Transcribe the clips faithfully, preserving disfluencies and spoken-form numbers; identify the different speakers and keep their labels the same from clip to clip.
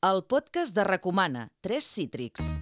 Speaker 1: El podcast de Recomana, Tres Cítrics.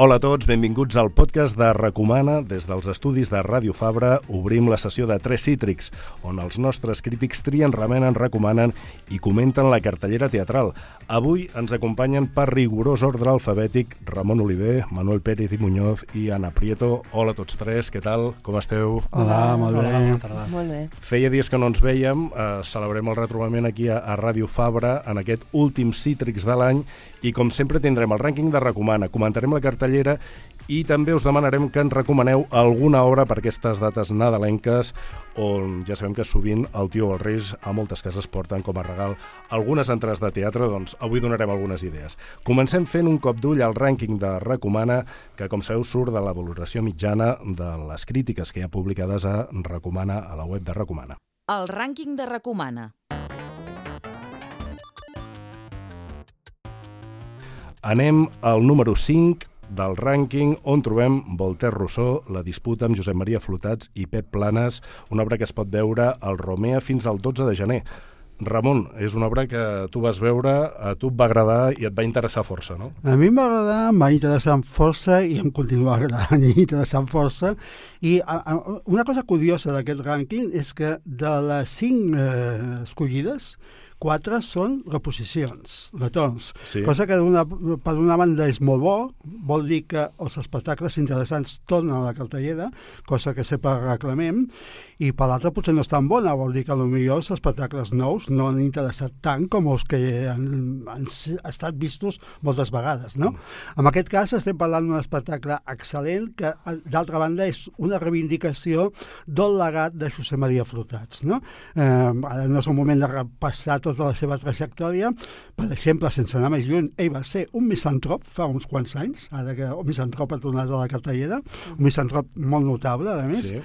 Speaker 2: Hola a tots, benvinguts al podcast de Recomana. Des dels estudis de Ràdio Fabra obrim la sessió de Tres Cítrics, on els nostres crítics trien, remenen, recomanen i comenten la cartellera teatral. Avui ens acompanyen per rigorós ordre alfabètic Ramon Oliver, Manuel Pérez i Muñoz i Ana Prieto. Hola a tots tres, què tal? Com esteu?
Speaker 3: Hola, molt bé.
Speaker 4: Hola, bona tarda.
Speaker 3: Molt bé.
Speaker 2: Feia dies que no ens vèiem, eh, celebrem el retrobament aquí a, a Ràdio Fabra en aquest últim Cítrics de l'any i com sempre tindrem el rànquing de Recomana, comentarem la cartellera i també us demanarem que ens recomaneu alguna obra per aquestes dates nadalenques on ja sabem que sovint el tio o els reis a moltes cases porten com a regal algunes entrades de teatre, doncs avui donarem algunes idees. Comencem fent un cop d'ull al rànquing de Recomana, que com sabeu surt de la valoració mitjana de les crítiques que hi ha publicades a Recomana, a la web de Recomana.
Speaker 1: El rànquing de Recomana.
Speaker 2: Anem al número cinc del rànquing, on trobem Voltaire Rousseau, la disputa amb Josep Maria Flotats i Pep Planes, una obra que es pot veure al Romea fins al dotze de gener. Ramon, és una obra que tu vas veure, a tu et va agradar i et va interessar força, no?
Speaker 3: A mi em va agradar, em va interessar força i em continua agradant i interessant força. I a, a, una cosa curiosa d'aquest rànquing és que de les cinc eh, escollides, quatre són reposicions, retorns,
Speaker 2: sí.
Speaker 3: Cosa que una, per una banda és molt bo, vol dir que els espectacles interessants tornen a la cartellera, cosa que sempre reclamem, i per l'altra potser no és tan bona, vol dir que potser els espectacles nous no han interessat tant com els que han, han estat vistos moltes vegades, no? Mm. En aquest cas estem parlant d'un espectacle excel·lent que, d'altra banda, és una reivindicació del legat de Josep Maria Flotats, no? Eh, ara no és un moment de repassar tot tota la seva trajectòria. Per exemple, sense anar més lluny, ell va ser un misantrop fa uns quants anys, ara que un misantrop ha tornat a la cartellera, un misantrop molt notable, a més. Sí.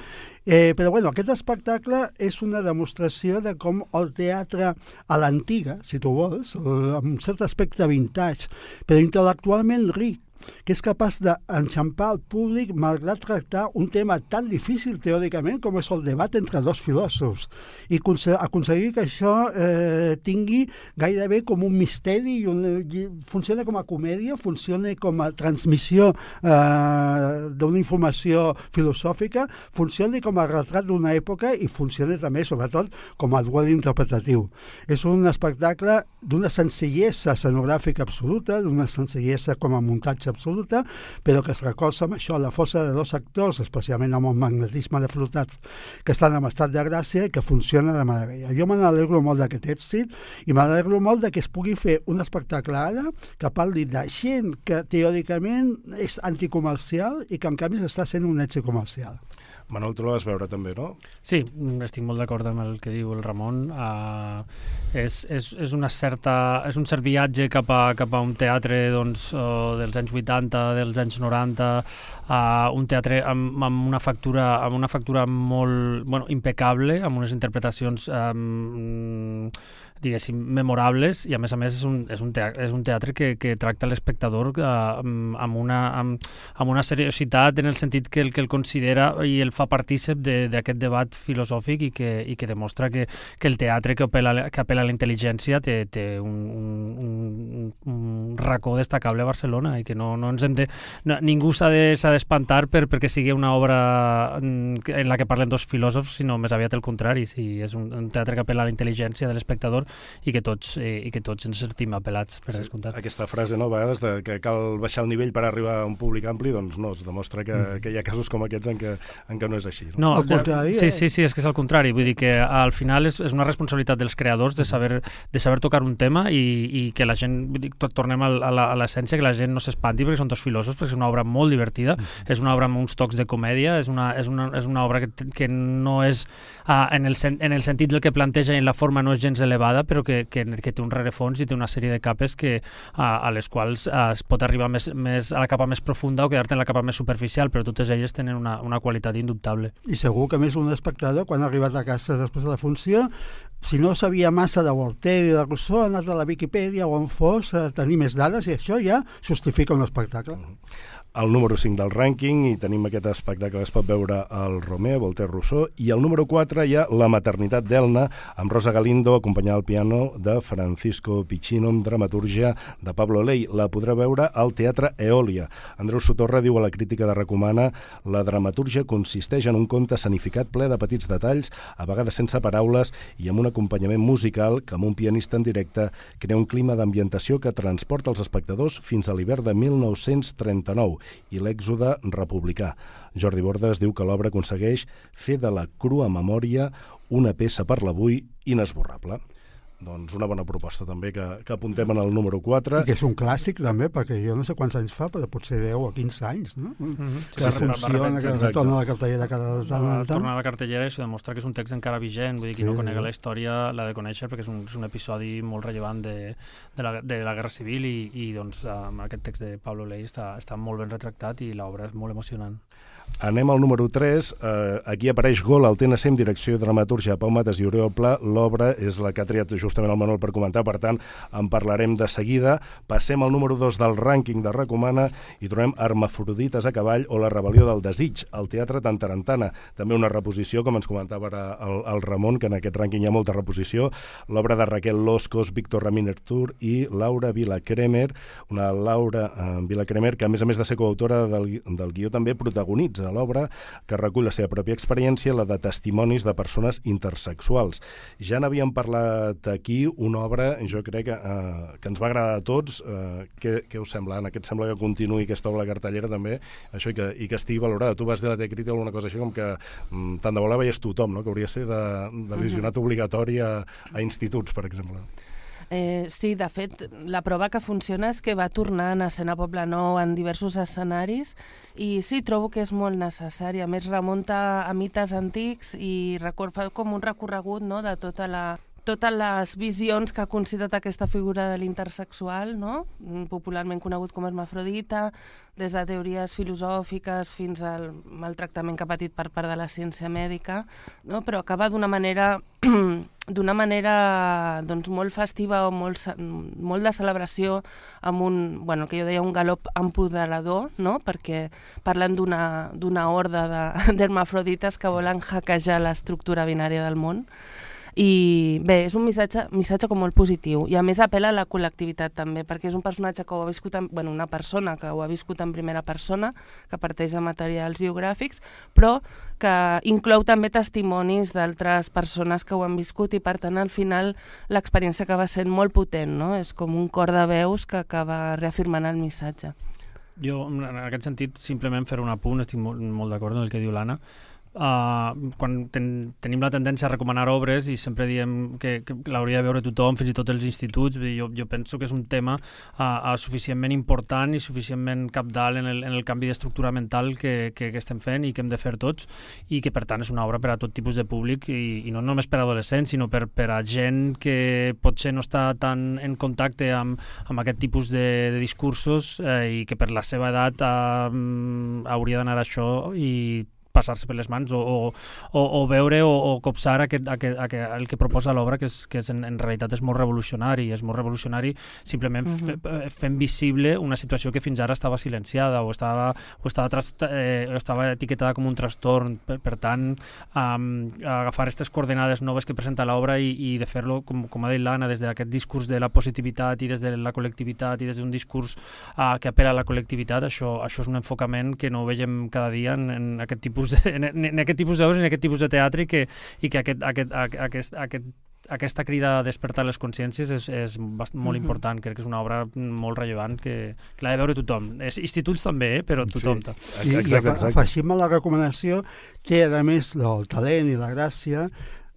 Speaker 3: Eh, però bueno, aquest espectacle és una demostració de com el teatre a l'antiga, si tu vols, amb un cert aspecte vintage, però intel·lectualment ric, que és capaç d'enxampar el públic malgrat tractar un tema tan difícil teòricament com és el debat entre dos filòsofs i aconseguir que això eh, tingui gairebé com un misteri i, un, i funciona com a comèdia, funciona com a transmissió eh, d'una informació filosòfica, funciona com a retrat d'una època i funciona també, sobretot, com a duel interpretatiu. És un espectacle d'una senzillesa escenogràfica absoluta, d'una senzillesa com a muntatge absoluta, però que es recolza amb això la força de dos actors, especialment amb el magnetisme de Flotats, que estan en estat de gràcia i que funciona de meravella. Jo me n'alegro molt d'aquest èxit i me n'alegro molt de que es pugui fer un espectacle ara que parli de gent que teòricament és anticomercial i que en canvi està sent un èxit comercial.
Speaker 2: Manuel, tu la vas veure també, no?
Speaker 4: Sí, estic molt d'acord amb el que diu el Ramon. Uh, és, és, és, una certa, és un cert viatge cap a, cap a un teatre doncs, uh, dels anys vuitanta, dels anys noranta, uh, un teatre amb, amb, una factura, amb una factura molt bueno, impecable, amb unes interpretacions um, diguéssim, memorables, i a més a més és un, és un teatre, és un teatre que, que tracta l'espectador uh, amb, una, amb, amb una seriositat en el sentit que el, que el considera i el fa partícip d'aquest de, debat filosòfic i que, i que demostra que, que el teatre que apela, que apela a la intel·ligència té, té un, un, un racó destacable a Barcelona i que no, no ens hem de... No, ningú s'ha d'espantar de, per, perquè sigui una obra en la que parlen dos filòsofs, sinó més aviat el contrari. Sí, és un, un teatre que apela a la intel·ligència de l'espectador i que tots, eh, i que tots ens sentim apel·lats, per sí, descomptat.
Speaker 2: Aquesta frase, no, a vegades, de que cal baixar el nivell per arribar a un públic ampli, doncs no, es demostra que, mm. que hi ha casos com aquests en què, en què no és així. No?
Speaker 4: No,
Speaker 3: al contrari.
Speaker 4: Sí, sí, sí, és que és al contrari. Vull dir que al final és, és una responsabilitat dels creadors de saber, de saber tocar un tema i, i que la gent, vull dir, tot, tornem a l'essència, que la gent no s'espanti perquè són dos filòsofs, perquè és una obra molt divertida, mm. és una obra amb uns tocs de comèdia, és una, és una, és una obra que, que no és, uh, en, el, en el sentit del que planteja i en la forma no és gens elevada, però que, que que té un rerefons i té una sèrie de capes que, a, a les quals a, es pot arribar més, més a la capa més profunda o quedar-te en la capa més superficial, però totes elles tenen una, una qualitat indubtable.
Speaker 3: I segur que més un espectador, quan ha arribat a casa després de la funció, si no sabia massa de Voltaire i de Rousseau, ha anat a la Viquipèdia o on fos a tenir més dades, i això ja justifica un espectacle.
Speaker 2: El número cinc del rànquing, i tenim aquest espectacle que es pot veure al Romea, Voltaire, Rousseau, i el número quatre hi ha La maternitat d'Elna, amb Rosa Galindo, acompanyada al piano de Francisco Piccino, amb dramatúrgia de Pablo Ley. La podrà veure al Teatre Eòlia. Andreu Sotorra diu a la crítica de Recomana: la dramatúrgia consisteix en un conte escenificat ple de petits detalls, a vegades sense paraules, i amb un acompanyament musical que, amb un pianista en directe, crea un clima d'ambientació que transporta els espectadors fins a l'hivern de mil nou-cents trenta-nou i l'èxode republicà. Jordi Bordes diu que l'obra aconsegueix fer de la crua memòria una peça per l'avui inesborrable. Doncs una bona proposta també que, que apuntem en el número quatre.
Speaker 3: I que és un clàssic també, perquè jo no sé quants anys fa, però potser deu o quinze anys, no? Mm-hmm. Que sí, funciona, que retorna a la cartellera cada tant en tant.
Speaker 4: Tornar a la cartellera i això demostra que és un text encara vigent, vull dir, qui sí, no conega la història l'ha de conèixer perquè és un, és un episodi molt rellevant de, de, la, de la Guerra Civil i, i doncs amb aquest text de Pablo Ley està, està molt ben retractat i l'obra és molt emocionant.
Speaker 2: Anem al número tres. Eh, aquí apareix Gol al T N C amb direcció i dramatúrgia de Pau Matas i Oriol Pla. L'obra és la que ha triat justament el Manuel per comentar, per tant, en parlarem de seguida. Passem al número dos del rànquing de Recomana i trobem Hermafrodites a cavall o La rebel·lió del desig, al Teatre Tantarantana. També una reposició, com ens comentava ara el, el Ramon, que en aquest rànquing hi ha molta reposició. L'obra de Raquel Loscos, Víctor Ramírez Tur i Laura Vila-Cremer, una Laura eh, Vila-Cremer que, a més a més de ser coautora del, del guió, també protagonitza a l'obra, que recull la seva pròpia experiència, la de testimonis de persones intersexuals. Ja n'havíem parlat aquí, una obra, jo crec que, eh, que ens va agradar a tots. Eh, què, què us sembla, Anna? Què et sembla que continuï aquesta obra cartellera també, això, i que, i que estigui valorada? Tu vas dir a la T-Crítica alguna cosa així com que mm, tant de bo la veies tothom, no? Que hauria de ser de, de visionat obligatori a, a instituts, per exemple.
Speaker 5: Eh, sí, de fet, la prova que funciona és que va tornant a escena Poblenou en diversos escenaris i sí, trobo que és molt necessari. A més, remunta a mites antics i record, fa com un recorregut, no?, de tota la totes les visions que ha considerat aquesta figura de l'intersexual, no?, popularment conegut com hermafrodita, des de teories filosòfiques fins al maltractament que ha patit per part de la ciència mèdica, no?, però acaba d'una manera d'una manera doncs, molt festiva o molt, molt de celebració amb un, bueno, que jo deia un galop empoderador, no?, perquè parlen d'una d'una horda d'hermafrodites que volen hackejar l'estructura binària del món. I bé, és un missatge, missatge com molt positiu i a més apel·la a la col·lectivitat també, perquè és un personatge que ho ha viscut, en, bueno, una persona que ho ha viscut en primera persona, que parteix de materials biogràfics, però que inclou també testimonis d'altres persones que ho han viscut i per tant al final l'experiència acaba sent molt potent, no? És com un cor de veus que acaba reafirmant el missatge.
Speaker 4: Jo, en aquest sentit, simplement fer un apunt, estic molt, molt d'acord amb el que diu l'Anna. Uh, quan ten, tenim la tendència a recomanar obres i sempre diem que, que l'hauria de veure tothom, fins i tot els instituts, jo, jo penso que és un tema uh, uh, suficientment important i suficientment cabdal en el, en el canvi d'estructura mental que, que, que estem fent i que hem de fer tots i que per tant és una obra per a tot tipus de públic i, i no només per a adolescents sinó per, per a gent que potser no està tan en contacte amb, amb aquest tipus de, de discursos eh, i que per la seva edat uh, hauria d'anar a això i passar-se per les mans o, o, o, o veure o, o copsar aquest, aquest, aquest, el que proposa l'obra, que, és, que és en, en realitat és molt revolucionari, és molt revolucionari simplement uh-huh. fe, fent visible una situació que fins ara estava silenciada o estava, o estava, trast, eh, estava etiquetada com un trastorn. Per, per tant, um, agafar aquestes coordenades noves que presenta l'obra i, i de fer-lo, com, com ha dit l'Anna, des d'aquest discurs de la positivitat i des de la col·lectivitat i des d'un discurs uh, que apel·la a la col·lectivitat, això, això és un enfocament que no veiem cada dia en, en aquest tipus En, en aquest tipus d'obres, en aquest tipus de teatre i que, i que aquest, aquest, aquest, aquest, aquesta crida a despertar les consciències és, és molt uh-huh. important. Crec que és una obra molt rellevant que, que l'ha de veure tothom. És, instituts també, eh? Però tothom.
Speaker 3: Sí. I, exacte, exacte. I afegim a la recomanació que a més del talent i la gràcia,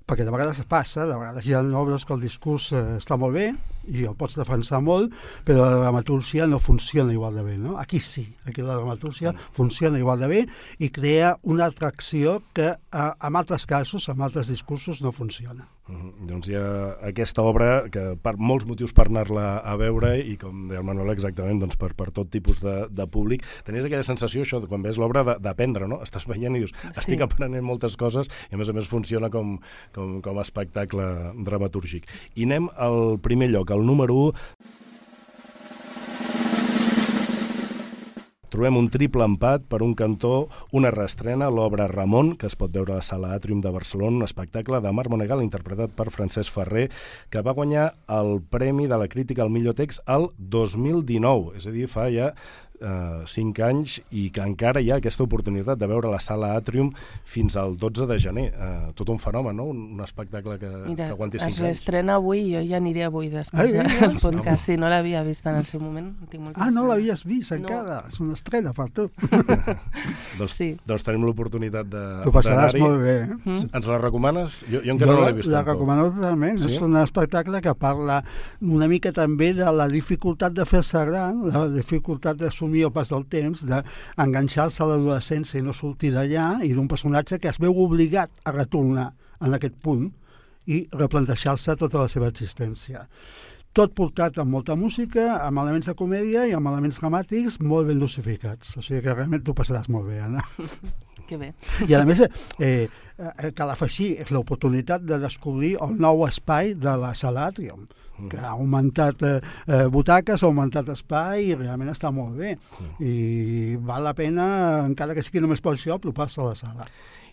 Speaker 3: perquè de vegades passa, de vegades hi ha obres que el discurs eh, està molt bé i el pots defensar molt, però la dramatúrgia no funciona igual de bé, no? Aquí sí, aquí la dramatúrgia mm. funciona igual de bé i crea una atracció que eh, en altres casos, en altres discursos, no funciona.
Speaker 2: Mm, doncs hi ha aquesta obra que per molts motius per anar-la a veure i com deia el Manuel exactament doncs per, per tot tipus de, de públic. Tenies aquella sensació això de quan veus l'obra d'aprendre, no? Estàs veient i dius, estic sí. aprenent moltes coses i a més a més funciona com, com, com a espectacle dramatúrgic. I anem al primer lloc, al número u. Trobem un triple empat per un cantó, una reestrena, l'obra Ramon, que es pot veure a la Sala Àtrium de Barcelona, un espectacle de Marc Monegal interpretat per Francesc Ferrer, que va guanyar el Premi de la Crítica al millor text el dos mil dinou, és a dir, fa ja Uh, cinc anys i que encara hi ha aquesta oportunitat de veure la Sala Àtrium fins al dotze de gener. Uh, tot un fenomen, no? Un, un espectacle que,
Speaker 5: Mira,
Speaker 2: que aguanti cinc anys.
Speaker 5: Mira, es reestrena avui i jo ja aniré avui després
Speaker 3: Ai,
Speaker 5: del podcast. Si no l'havia vist en el seu moment, tinc moltes
Speaker 3: Ah, no
Speaker 5: ganes.
Speaker 3: l'havies vist encara? No. És una estrena per tu.
Speaker 2: doncs,
Speaker 5: sí.
Speaker 2: doncs tenim l'oportunitat de
Speaker 3: T'ho passaràs molt bé. Eh?
Speaker 5: Mm.
Speaker 2: Ens la recomanes? Jo, jo encara
Speaker 3: jo
Speaker 2: no l'he vist.
Speaker 3: La recomano totalment. Sí? És un espectacle que parla una mica també de la dificultat de fer-se gran, la dificultat d'assumir el pas del temps, d'enganxar-se a l'adolescència i no sortir d'allà, i d'un personatge que es veu obligat a retornar en aquest punt i replantejar-se tota la seva existència. Tot portat amb molta música, amb elements de comèdia i amb elements dramàtics molt ben dosificats. O sigui que realment t'ho passaràs molt bé, Anna.
Speaker 5: Que bé.
Speaker 3: I a més, eh, eh, cal afegir, és l'oportunitat de descobrir el nou espai de la Sala Àtrium, que ha augmentat eh, eh, butaques, ha augmentat espai i realment està molt bé. I val la pena, encara que sigui només per això, apropar-se a la sala.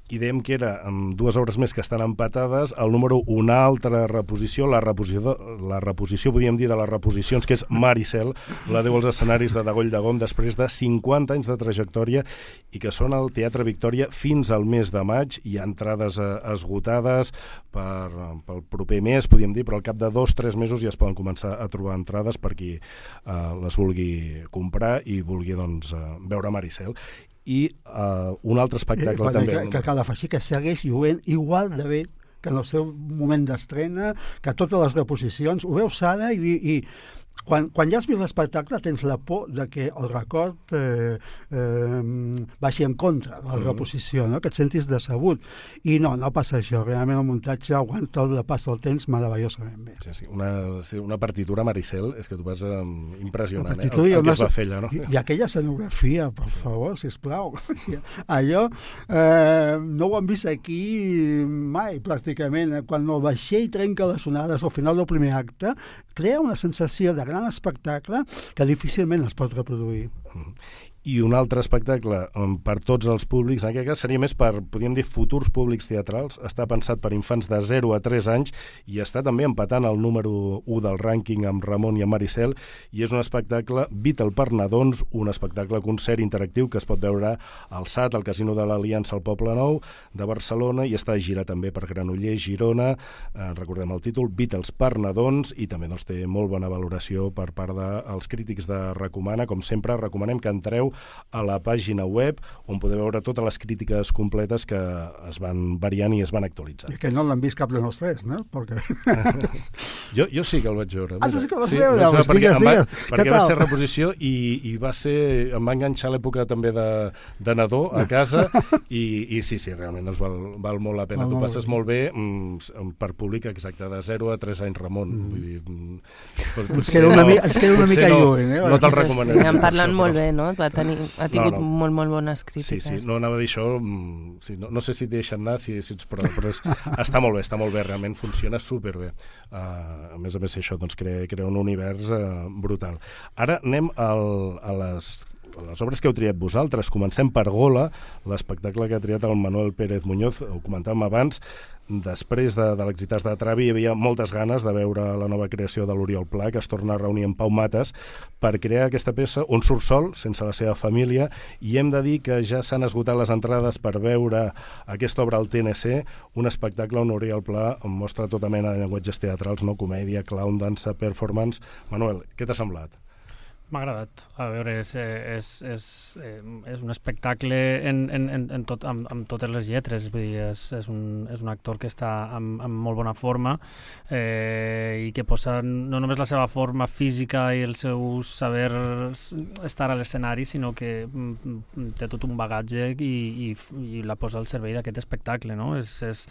Speaker 2: I dèiem que era amb dues obres més que estan empatades, el número una altra reposició, la reposició, la reposició podríem dir de les reposicions, que és Maricel, la Déu als escenaris de Dagoll de Gom, després de cinquanta anys de trajectòria i que són al Teatre Victòria fins al mes de maig. Hi ha entrades eh, esgotades per, pel proper mes, podríem dir, però al cap de dos o tres mesos ja es poden començar a trobar entrades per qui eh, les vulgui comprar i vulgui doncs, eh, veure Maricel. I uh, un altre espectacle
Speaker 3: eh,
Speaker 2: també.
Speaker 3: Que, que cal afegir que segueix lluent igual de bé que en el seu moment d'estrena, que totes les reposicions. Ho veus ara i, i quan, quan ja has vist l'espectacle tens la por de que el record eh, eh, vagi en contra de la reposició, no? Que et sentis decebut. I no, no passa això. Realment el muntatge aguanta el pas del temps meravellosament bé.
Speaker 2: Sí, sí. Una, sí, una partitura Maricel, és que t'ho vas eh, impressionant, eh? El,
Speaker 3: el
Speaker 2: el que es va fer allà, no?
Speaker 3: I, i aquella escenografia, per sí. favor, sisplau. Allò eh, no ho hem vist aquí mai, pràcticament. Quan el vaixell trenca les onades al final del primer acte, crea una sensació de gran espectacle que difícilment es pot reproduir.
Speaker 2: Mm-hmm. I un altre espectacle um, per tots els públics, en aquest cas seria més per, podríem dir, futurs públics teatrals. Està pensat per infants de zero a tres anys i està també empatant el número u del rànquing amb Ramon i amb Maricel, i és un espectacle Beatle per nadons, un espectacle concert interactiu que es pot veure al S A T, al Casino de l'Aliança al Poble Nou de Barcelona, i està a girar també per Granollers, Girona, eh, recordem el títol, Beatles per nadons, i també doncs, té molt bona valoració per part dels crítics de Recomana. Com sempre, recomanem que entreu a la pàgina web on podeu veure totes les crítiques completes que es van variant i es van actualitzant.
Speaker 3: I que no l'han vist cap de els tres, no? Perquè...
Speaker 2: jo, jo sí que el vaig veure.
Speaker 3: Ah, tu sí que el vas
Speaker 2: sí,
Speaker 3: veure?
Speaker 2: Veure,
Speaker 3: Hosti,
Speaker 2: perquè
Speaker 3: digues,
Speaker 2: va,
Speaker 3: digues.
Speaker 2: perquè va ser reposició i, i va ser, em va enganxar l'època també de, de nadó a casa i, i sí, sí, realment doncs val, val molt la pena.
Speaker 3: Val
Speaker 2: tu
Speaker 3: molt
Speaker 2: passes
Speaker 3: bé.
Speaker 2: molt bé mm, per públic exacte de zero a tres anys, Ramon. Mm. Vull dir, mm, pot,
Speaker 3: ens, queda una,
Speaker 2: no,
Speaker 3: ens queda una mica
Speaker 2: no,
Speaker 3: lluny. Eh?
Speaker 2: No te'l recomanaré.
Speaker 5: Sí, en parlen
Speaker 2: això,
Speaker 5: molt
Speaker 2: però...
Speaker 5: bé, no? Va tenir, ha tingut no, no. molt, molt bones crítiques.
Speaker 2: Sí, sí, no anava a dir això, sí, no, no sé si et deixen anar, si, si ets prou, però és, està molt bé, està molt bé, realment funciona superbé. Uh, a més a més, això doncs, crea, crea un univers uh, brutal. Ara anem al, a les... les obres que heu triat vosaltres. Comencem per Gola, l'espectacle que ha triat el Manuel Pérez Muñoz, ho comentàvem abans. Després de, de l'exitàs de Travi hi havia moltes ganes de veure la nova creació de l'Oriol Pla, que es torna a reunir amb Pau Mates per crear aquesta peça on surt sol, sense la seva família, i hem de dir que ja s'han esgotat les entrades per veure aquesta obra al T N C, un espectacle on Oriol Pla mostra tota mena de llenguatges teatrals, no? Comèdia, clown, dansa, performance. Manuel, què t'ha semblat?
Speaker 4: M'ha agradat. A veure, és, és, és, és un espectacle en, en, en tot, amb, amb totes les lletres. Vull dir, és, és, un, és un actor que està amb, amb molt bona forma eh, i que posa no només la seva forma física i el seu saber estar a l'escenari, sinó que té tot un bagatge i, i, i la posa al servei d'aquest espectacle. No? És, és,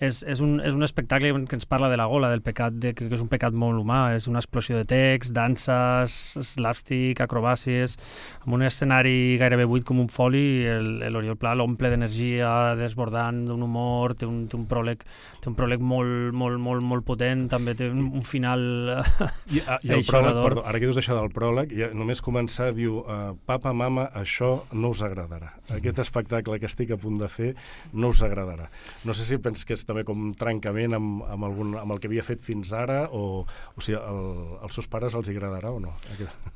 Speaker 4: és, és, un, és un espectacle que ens parla de la gola, del pecat, de, que és un pecat molt humà. És una explosió de text, danses, slapstick, acrobàcies, amb un escenari gairebé buit com un foli. L'Oriol Pla l'omple d'energia desbordant, d'un humor, té un, té un pròleg, té un pròleg molt, molt, molt, molt potent, també té un, un final
Speaker 2: I, a, i el pròleg, perdó, ara que dius això del pròleg, ja només començar diu uh, papa, mama, això no us agradarà. Aquest espectacle que estic a punt de fer no us agradarà. No sé si penses que és també com un trencament amb, amb, algun, amb el que havia fet fins ara o, o sigui, el, als seus pares els agradarà o no?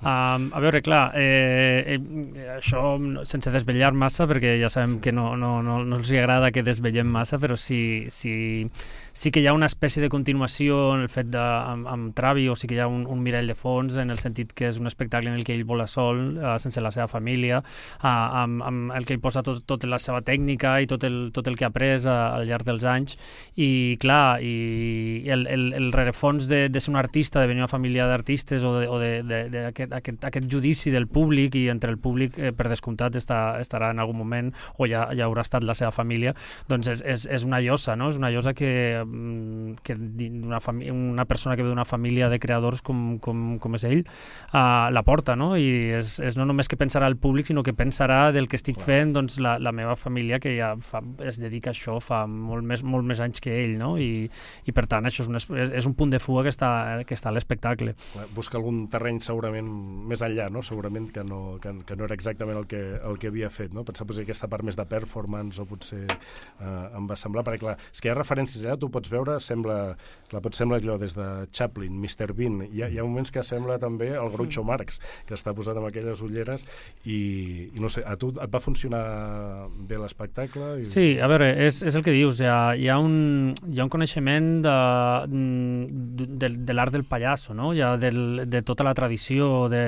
Speaker 4: Um, a veure, clar, eh, eh, això sense desvetllar massa, perquè ja sabem sí. que no, no, no, no els agrada que desvetllem massa, però sí, sí, sí que hi ha una espècie de continuació en el fet de, amb, amb Travi, o sí que hi ha un, un mirall de fons, en el sentit que és un espectacle en el que ell vola sol, uh, sense la seva família, uh, amb, amb el que ell posa tot, tot la seva tècnica i tot el, tot el que ha après uh, al llarg dels anys, i clar, i el, el, el rerefons de, de ser un artista, de venir a una família d'artistes o de, o de, de, de aquest, aquest, aquest judici del públic, i entre el públic eh, per descomptat està, estarà en algun moment o ja, ja haurà estat la seva família, doncs és, és, és una llosa, no? És una llosa que, que una, una persona que ve d'una família de creadors com, com, com és ell uh, la porta, no? I és, és no només que pensarà el públic, sinó que pensarà del que estic fent doncs, la, la meva família, que ja fa, es dedica a això fa molt més, molt més anys que ell, no? I, i per tant això és un, és, és un punt de fuga que està, que està a l'espectacle.
Speaker 2: Busca algun terreny segurament més enllà, no? Segurament que no, que, que no era exactament el que, el que havia fet, no? Pensar potser aquesta part més de performance o potser eh, em va semblar, perquè clar, és que hi ha referències allà, tu pots veure, sembla, clar, pot semblar allò des de Chaplin, mister Bean, hi ha, hi ha moments que sembla també el Groucho Marx, que està posat amb aquelles ulleres i, i no sé, a tu et va funcionar bé l'espectacle? I...
Speaker 4: Sí, a veure, és, és el que dius, hi ha, hi ha, un, hi ha un coneixement de, de, de l'art del pallasso, no? Hi ha del, de tota la tradició, de,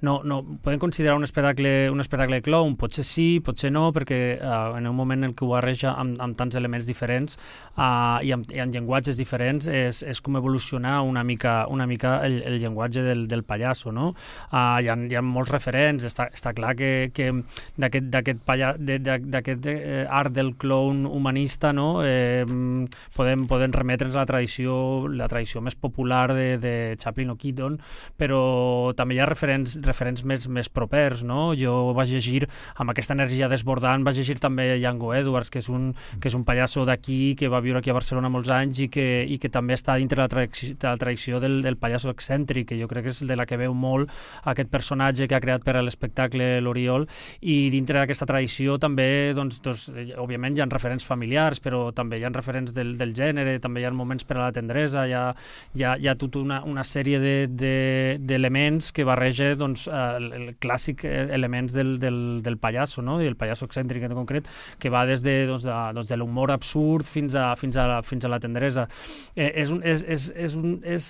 Speaker 4: no, no, podem considerar un espectacle, un espectacle de clown? Potser sí, potser no, perquè uh, en un moment en què ho barreja amb, amb tants elements diferents uh, i, amb, i amb llenguatges diferents és, és com evolucionar una mica, una mica el, el llenguatge del, del pallasso, no? Uh, hi, ha, hi ha molts referents, està, està clar que, que d'aquest, d'aquest, palla, de, d'aquest eh, art del clown humanista, no? Eh, podem, podem remetre'ns a la tradició, la tradició més popular de, de Chaplin o Keaton, però també hi ha referents, referents més, més propers, no? Jo vaig llegir, amb aquesta energia desbordant, vaig llegir també Django Edwards, que és un, que és un pallasso d'aquí, que va viure aquí a Barcelona molts anys i que, i que també està dintre de la tradició, de la tradició del, del pallasso excèntric, que jo crec que és de la que veu molt aquest personatge que ha creat per a l'espectacle l'Oriol, i dintre d'aquesta tradició també, doncs, doncs, òbviament hi ha referents familiars, però també hi ha referents del, del gènere, també hi ha moments per a la tendresa, hi ha, hi ha, hi ha tota una, una sèrie de, de, d'elements que barreja doncs, el, el clàssic elements del, del, del pallasso, no? I el pallasso excèntric en concret, que va des de, doncs, de, doncs, de l'humor absurd fins a, fins a, la, fins a la tendresa. Eh, és un, és, és, és un, és,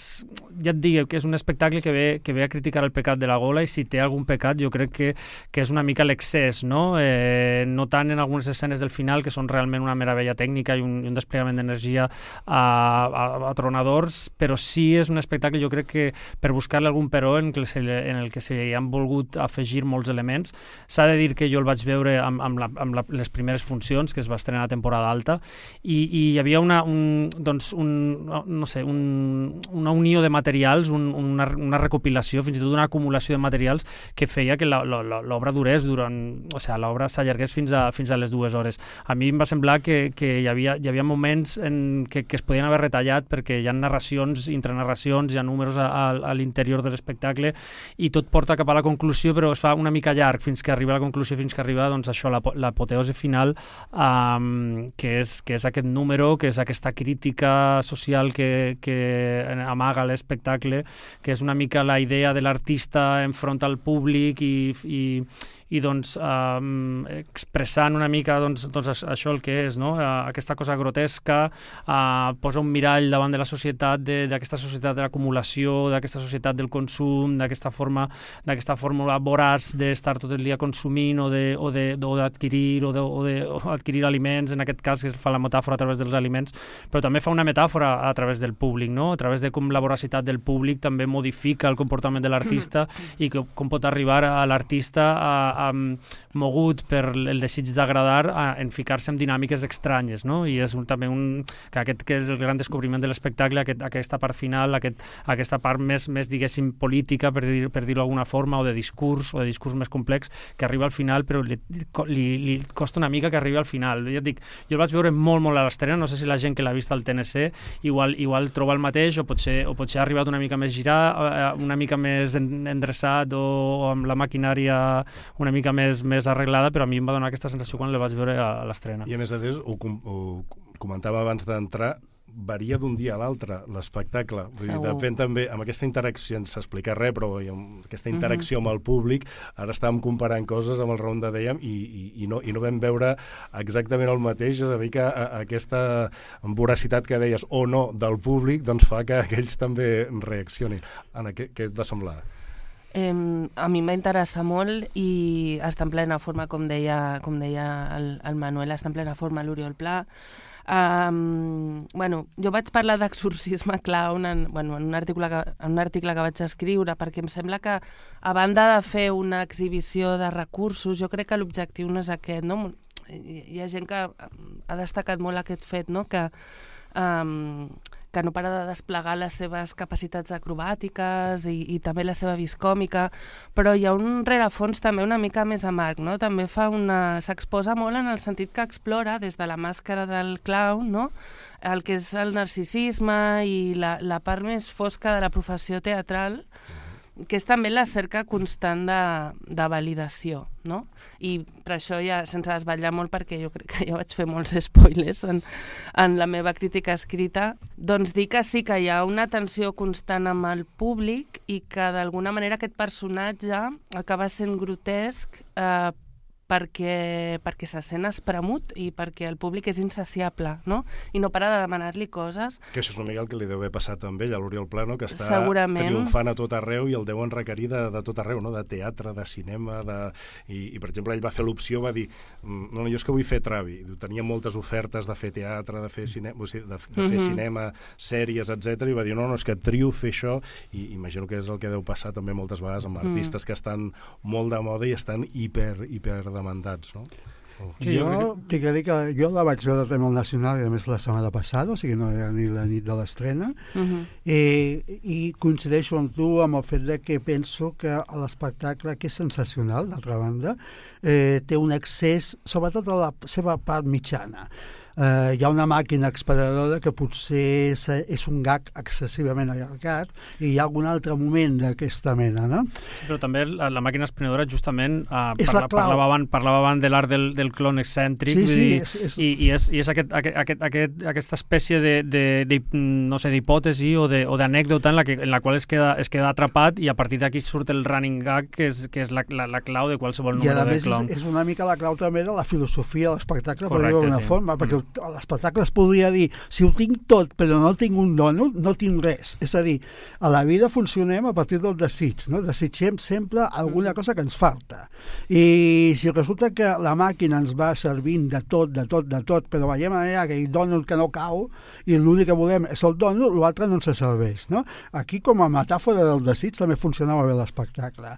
Speaker 4: ja et dic que és un espectacle que ve, que ve a criticar el pecat de la gola, i si té algun pecat jo crec que, que és una mica l'excés, no? Eh, no tant en algunes escenes del final, que són realment una meravella tècnica i un, un desplegament d'energia a, a, a tronadors, però sí és un espectacle, jo crec que per buscar-li algun però en, que se, en el que se li han volgut afegir molts elements. S'ha de dir que jo el vaig veure amb, amb, la, amb la, les primeres funcions, que es va estrenar a temporada alta, i, i hi havia una, un, doncs un, no sé, un, una unió de materials, un, una, una recopilació, fins i tot una acumulació de materials que feia que l'obra durés durant, o sigui, l'obra s'allargués fins a, fins a les dues hores. A mi em va semblar que, que hi, havia, hi havia moments en que, que es podien haver retallat, perquè hi ha narracions, intranarracions, hi ha números a, a, a l'interior de l'espectacle, i tot porta cap a la conclusió, però es fa una mica llarg fins que arriba a la conclusió, fins que arriba doncs, això, l'apoteosi final, um, que, és, que és aquest número, que és aquesta crítica social que, que amaga l'espectacle, que és una mica la idea de l'artista enfront al públic i, i, i doncs eh, expressant una mica doncs, doncs això el que és, no? Uh, aquesta cosa grotesca, uh, posa un mirall davant de la societat, d'aquesta societat de l'acumulació, d'aquesta societat del consum, d'aquesta forma, d'aquesta fórmula voraç d'estar tot el dia consumint o de, o de, o d'adquirir o, de, o, de, o adquirir aliments, en aquest cas que fa la metàfora a través dels aliments, però també fa una metàfora a través del públic, no? A través de com la voracitat del públic també modifica el comportament de l'artista i que, com pot arribar a l'artista a, a, mogut per el desig d'agradar a, en ficar-se en dinàmiques estranyes, no? I és un, també un, que aquest que és el gran descobriment de l'espectacle, aquest, aquesta part final, aquest, aquesta part més, més diguéssim, política, per, dir, per dir-ho d'alguna forma, o de discurs, o de discurs més complex, que arriba al final, però li, li, li costa una mica que arribi al final. Ja et dic, jo el vaig veure molt, molt a l'estrena, no sé si la gent que l'ha vist al T N C igual, igual troba el mateix, o potser, o potser ha arribat una mica més girat, una mica més endreçat, o, o amb la maquinària una mica més, més arreglada, però a mi em va donar aquesta sensació quan la vaig veure a, a l'estrena.
Speaker 2: I a més a més, ho, ho comentava abans d'entrar, varia d'un dia a l'altre l'espectacle. Vull dir, depèn també, amb aquesta interacció, sense explicar res, però amb aquesta interacció amb el públic, ara estàvem comparant coses amb el Raon de dèiem i, i, i, no, i no vam veure exactament el mateix, és a dir, que a, a aquesta voracitat que deies o no del públic, doncs fa que aquells també reaccionin. Anna, què, què et va semblar?
Speaker 5: Eh, a mi m'ha interessat molt i està en plena forma, com deia, com deia el, el Manuel, està en plena forma l'Oriol Pla. Um, bueno, jo vaig parlar d'exorcisme clown en, bueno, en, un article que, en un article que vaig escriure, perquè em sembla que a banda de fer una exhibició de recursos, jo crec que l'objectiu no és aquest, no? Hi, hi ha gent que ha destacat molt aquest fet, no? Que um, que no para de desplegar les seves capacitats acrobàtiques i, i també la seva vis còmica, però hi ha un rerefons també una mica més amarg, no? També fa una... s'exposa molt en el sentit que explora des de la màscara del clown, no? El que és el narcisisme i la, la part més fosca de la professió teatral, que és també la cerca constant de, de validació, no? I per això ja, sense desvetllar molt, perquè jo crec que ja vaig fer molts spoilers en, en la meva crítica escrita, doncs dir que sí que hi ha una tensió constant amb el públic i que d'alguna manera aquest personatge acaba sent grotesc eh, perquè, perquè se sent espremut i perquè el públic és insaciable, no? I no para de demanar-li coses.
Speaker 2: Que això és una mica el que li deu haver passat amb ell, a l'Oriol Pla, no? Que està
Speaker 5: Segurament.
Speaker 2: triomfant a tot arreu i el deuen requerir de, de tot arreu, no? De teatre, de cinema, de... I, i per exemple, ell va fer l'opció, va dir, no, no, jo és que vull fer Travi. Tenia moltes ofertes de fer teatre, de fer, cine... de, de fer mm-hmm. cinema, sèries, etcètera, i va dir, no, no, és que trio fer això, i imagino que és el que deu passar també moltes vegades amb artistes mm. que estan molt de moda i estan hiper, hiper demandats, no? Oh.
Speaker 3: Sí, jo jo tinc que dir que jo la vaig veure també al Nacional, i a més la setmana passada, o sigui, no era ni la nit de l'estrena, uh-huh. I, i coincideixo amb tu amb el fet de que penso que l'espectacle, que és sensacional, d'altra banda, eh, té un excés, sobretot a la seva part mitjana. Uh, hi ha una màquina exparadora que potser és, és un gag excessivament allargat i hi ha algun altre moment d'aquesta mena, no?
Speaker 4: Sí, però també la, la màquina expenedora justament uh, parla, parlava, abans, parlava abans de l'art del, del clon excèntric, sí, sí, és, és... I, i és, i és aquest, aquest, aquest, aquest, aquesta espècie de, de, de no sé, d'hipòtesi o d'anècdota en, la que, en la qual es queda, es queda atrapat i a partir d'aquí surt el running gag que és, que és la, la, la clau de qualsevol número de clon.
Speaker 3: I a més és, és una mica la clau també de la filosofia de l'espectacle, per dir-ho d'una sí. forma, perquè l'espectacle es podria dir, si ho tinc tot però no tinc un dònut, no tinc res. És a dir, a la vida funcionem a partir del desig, no? Desitgem sempre alguna cosa que ens falta. I si resulta que la màquina ens va servint de tot, de tot, de tot, però veiem allà que hi ha dònut que no cau i l'únic que volem és el dònut, l'altre no ens serveix, no? Aquí, com a metàfora del desig, també funcionava bé l'espectacle.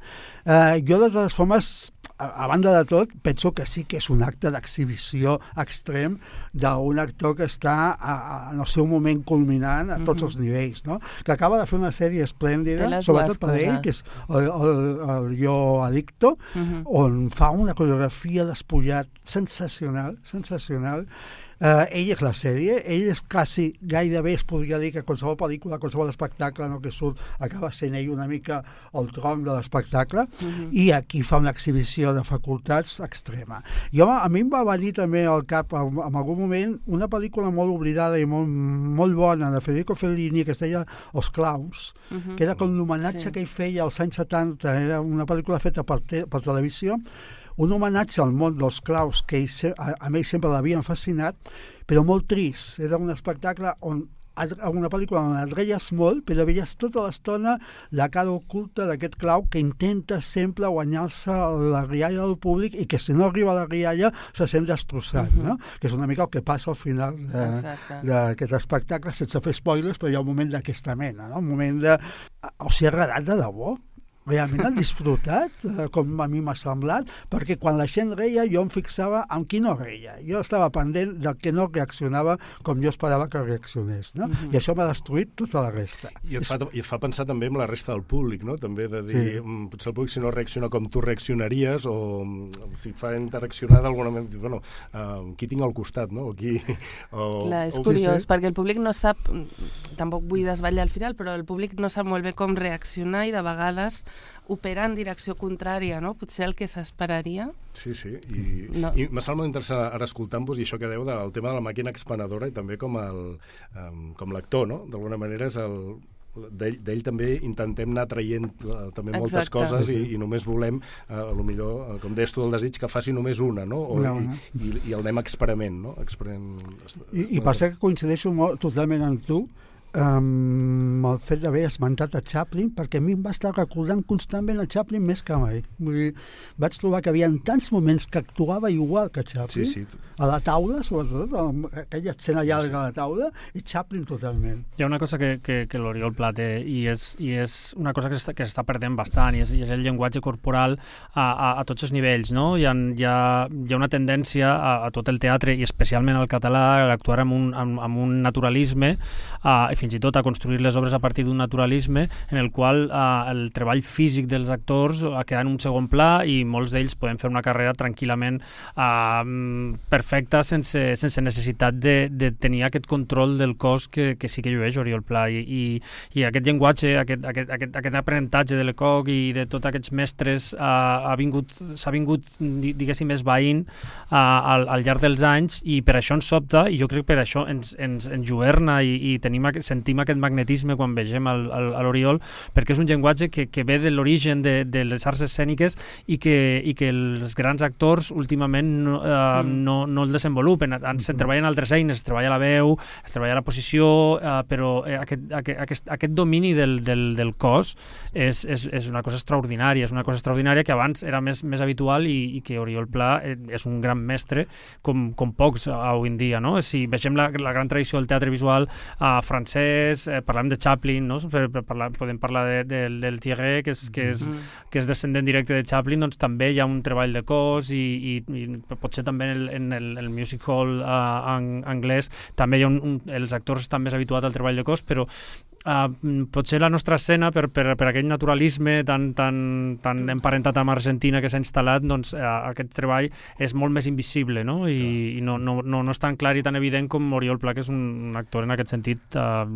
Speaker 3: Eh, jo, de totes formes, a, a banda de tot, penso que sí que és un acte d'exhibició extrem d'un actor que està a, a, en el seu moment culminant a tots mm-hmm. els nivells, no? Que acaba de fer una sèrie esplèndida, sobretot per ell, que és el, el, el Jo Adicto, mm-hmm. on fa una coreografia despullat sensacional, sensacional. Uh, ell és la sèrie, ell és quasi, gairebé es podria dir que qualsevol pel·lícula, qualsevol espectacle no, que surt acaba sent ell una mica el tronc de l'espectacle, uh-huh. i aquí fa una exhibició de facultats extrema. Jo, a mi em va venir també al cap en, en algun moment una pel·lícula molt oblidada i molt, molt bona de Federico Fellini que es deia Els Clowns, uh-huh. que era com l'homenatge sí. que ell feia als anys setanta, era una pel·lícula feta per, te, per televisió, un homenatge al món dels claus que ell, a, a ell sempre l'havien fascinat, però molt trist. Era un espectacle on una pel·lícula on et reies molt, però veies tota l'estona la cara oculta d'aquest clau que intenta sempre guanyar-se la rialla del públic i que si no arriba a la rialla se sent destrossat, uh-huh. no? Que és una mica el que passa al final d'aquest espectacle, sense fer spoilers, però hi ha un moment d'aquesta mena, no? Un moment de... O sigui, ha agradat de debò? Realment han disfrutat, eh, com a mi m'ha semblat, perquè quan la gent reia jo em fixava en qui no reia. Jo estava pendent del que no reaccionava com jo esperava que reaccionés, no? Uh-huh. I això m'ha destruït tota la resta.
Speaker 2: I et, fa, I et fa pensar també en la resta del públic, no? També de dir, sí. potser el públic si no reacciona com tu reaccionaries o si et fa interaccionar d'alguna manera, bueno, uh, qui tinc al costat, no? O qui... O,
Speaker 5: Clar, és
Speaker 2: o,
Speaker 5: curiós,
Speaker 2: sí, sí.
Speaker 5: perquè el públic no sap, tampoc vull desvetllar al final, però el públic no sap molt bé com reaccionar i de vegades opera en direcció contrària, no? Potser el que s'esperaria.
Speaker 2: Sí, sí, i, no. i m'ha semblat molt interessant ara escoltant-vos i això que deu del tema de la màquina expenedora i també com el um, com l'actor, no? D'alguna manera és el... D'ell, d'ell també intentem anar traient uh, també moltes Exacte. Coses i, i només volem, uh, a lo millor, uh, com deies tu del desig, que faci només una, no? O, no, no. I, i, I el anem experiment, no? Experiment...
Speaker 3: I, i per ser que coincideixo molt, totalment amb tu, Um, el fet d'haver esmentat a Chaplin, perquè a mi em va estar recordant constantment a Chaplin més que mai. Vull dir, vaig trobar que hi havia tants moments que actuava igual que Chaplin,
Speaker 2: sí, sí.
Speaker 3: A la taula, sobretot, aquella escena llarga a la taula, i Chaplin totalment.
Speaker 4: Hi ha una cosa que, que, que l'Oriol Pla té, i és, i és una cosa que s'està perdent bastant, i és, i és el llenguatge corporal a, a, a tots els nivells, no? Hi ha, hi ha, hi ha una tendència a, a tot el teatre, i especialment al català, a actuar amb un, amb, amb un naturalisme, a, fins i tot a construir les obres a partir d'un naturalisme en el qual eh, el treball físic dels actors ha quedat en un segon pla i molts d'ells poden fer una carrera tranquil·lament eh, perfecta sense, sense necessitat de, de tenir aquest control del cos que, que sí que llueix Oriol Pla i, i, i aquest llenguatge, aquest, aquest, aquest, aquest aprenentatge de Lecoq i de tots aquests mestres eh, ha vingut, s'ha vingut diguéssim esvaint eh, al, al llarg dels anys i per això ens sobta i jo crec que per això ens, ens, ens juerna i, i tenim aquest sentim aquest magnetisme quan vegem a l'Oriol, perquè és un llenguatge que, que ve de l'origen de, de les arts escèniques i que, i que els grans actors últimament no, eh, mm. no, no el desenvolupen. Se treballen altres eines, es treballa la veu, es treballa la posició, eh, però aquest, aquest, aquest, aquest domini del, del, del cos és, és, és una cosa extraordinària, és una cosa extraordinària que abans era més, més habitual i, i que Oriol Pla és un gran mestre com, com pocs avui en dia, no? Si vegem la, la gran tradició del teatre visual eh, francès, Eh, parlem de Chaplin, no? Per, per parlar, podem parlar de, de, del Thierry, que és, que, és, mm. que és descendent directe de Chaplin, doncs també hi ha un treball de cos i, i, i potser també en el, en el, el music hall uh, en, anglès també hi ha un, un, els actors estan més habituats al treball de cos, però Uh, potser la nostra escena, per, per, per aquell naturalisme tan, tan, tan emparentat amb Argentina que s'ha instal·lat, doncs uh, aquest treball és molt més invisible, no? I, i no, no, no, no és tan clar i tan evident com Oriol Pla, que és un, un actor en aquest sentit uh,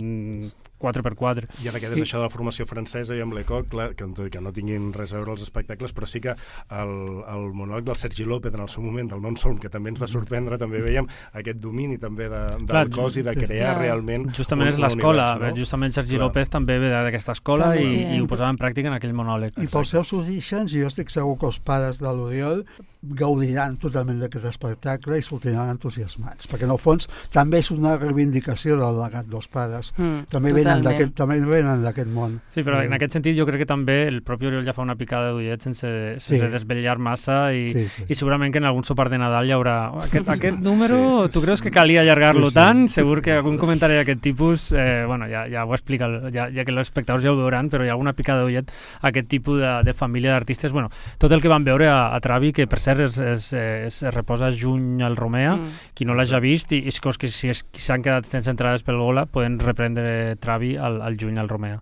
Speaker 4: quatre per quatre.
Speaker 2: I ara que és això de la formació francesa i amb Lecoq, clar, que, que no tinguin res a veure els espectacles, però sí que el, el monòleg del Sergi López en el seu moment, del Non Som, que també ens va sorprendre, també veiem aquest domini també de, del clar, cos i de crear clar. realment...
Speaker 4: Justament un, és l'escola, no? Justament Sergi clar. López també ve d'aquesta escola i, i ho posava en pràctica en aquell monòleg.
Speaker 3: I pels seus orígens, jo estic segur que els pares de l'Oriol gaudiran totalment d'aquest espectacle i sortiran entusiasmats, perquè en el fons també és una reivindicació del legat dels pares. Mm, també venen d'aquest també venen d'aquest món.
Speaker 4: Sí, però en aquest sentit jo crec que també el propi Oriol ja fa una picada d'ullet sense, sense sí. desvetllar massa i, sí, sí. i segurament que en algun sopar de Nadal hi haurà aquest, aquest número, sí. tu creus que calia allargar-lo sí, sí. tant? Segur que algun comentari d'aquest tipus, eh, bueno, ja, ja ho explica, ja, ja que els espectadors ja ho veuran, però hi ha alguna picada d'ullet a aquest tipus de, de família d'artistes. Bueno, tot el que van veure a, a Travi, que per cert es, es, es, es reposa juny al Romea, mm. qui no l'hagi vist, i és que si s'han quedat sense entrades pel Gola, poden reprendre Travi al, al juny al Romea.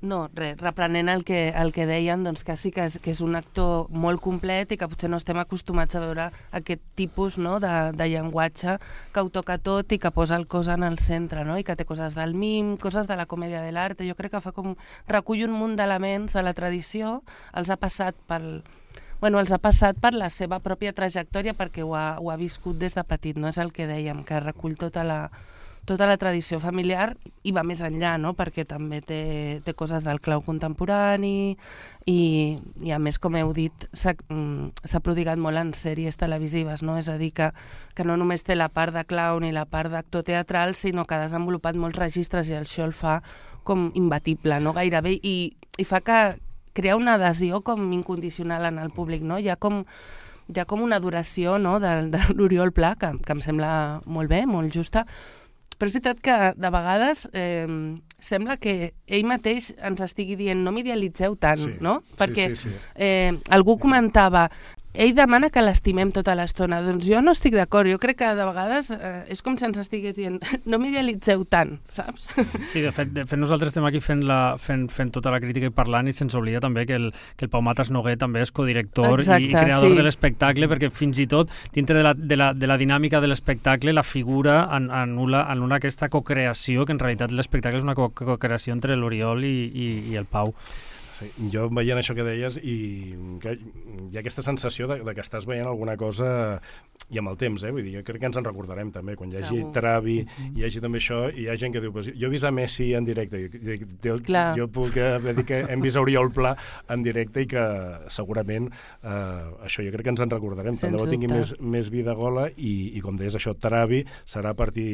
Speaker 5: No, res, reprenent el que, el que deien, doncs que sí que és, que és un actor molt complet i que potser no estem acostumats a veure aquest tipus, no, de, de llenguatge que ho toca tot i que posa el cos en el centre, no, i que té coses del mim, coses de la comèdia de l'art. Jo crec que fa com recull un munt d'elements de la tradició, els ha passat pel... Bueno, els ha passat per la seva pròpia trajectòria perquè ho ha, ho ha viscut des de petit, no és el que dèiem, que recull tota la, tota la tradició familiar i va més enllà, no? Perquè també té, té coses del clau contemporani i, i a més, com heu dit, s'ha prodigat molt en sèries televisives, no? És a dir, que, que no només té la part de clown i la part d'actor teatral, sinó que ha desenvolupat molts registres i això el fa com imbatible, no? Gairebé, i, i fa que crea una adhesió com incondicional en el públic, no? Hi ha com, hi ha com una adoració, no? de, de l'Oriol Pla, que, que em sembla molt bé, molt justa, però és veritat que de vegades eh, sembla que ell mateix ens estigui dient no m'idealitzeu tant,
Speaker 2: sí,
Speaker 5: no? Perquè
Speaker 2: sí, sí, sí.
Speaker 5: Eh, algú comentava ell demana que l'estimem tota l'estona. Doncs jo no estic d'acord. Jo crec que de vegades eh, és com si ens estigués dient no m'idealitzeu tant, saps?
Speaker 4: Sí, de fet, de fet nosaltres estem aquí fent, la, fent, fent tota la crítica i parlant i sense oblidar també que el, que el Pau Matas Noguer també és codirector Exacte, i, i creador sí. de l'espectacle, perquè fins i tot dintre de la, de la, de la dinàmica de l'espectacle la figura anul·la, anul·la aquesta cocreació, que en realitat l'espectacle és una cocreació entre l'Oriol i, i, i el Pau.
Speaker 2: Sí, jo veient això que deies i que hi ha aquesta sensació de, de que estàs veient alguna cosa i amb el temps, eh? Vull dir, jo crec que ens en recordarem també, quan hi hagi Segur. Travi, mm-hmm. hi hagi també això, i hi ha gent que diu, jo he vist a Messi en directe, jo, jo, jo puc dir que hem vist a Oriol Pla en directe i que segurament eh, això jo crec que ens en recordarem, tant de bo tingui més, més vida gola i, i com deies això, Travi serà a partir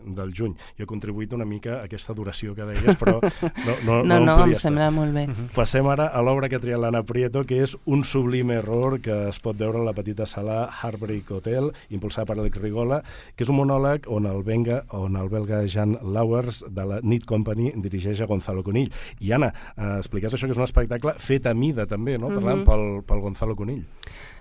Speaker 2: del juny. Jo he contribuït una mica a aquesta duració que deies, però no, no, no,
Speaker 5: no,
Speaker 2: no,
Speaker 5: no
Speaker 2: em
Speaker 5: em sembla molt bé.
Speaker 2: Mm-hmm. Passem ara a l'obra que ha triat l'Anna Prieto, que és Un sublime error, que es pot veure a la petita sala Heartbreak Hotel, impulsada per Alex Rigola, que és un monòleg on el, venga, on el belga Jan Lauwers de la Need Company dirigeix a Gonzalo Conill. I Anna, eh, expliques això, que és un espectacle fet a mida també, no? Parlant mm-hmm. pel, pel Gonzalo Conill.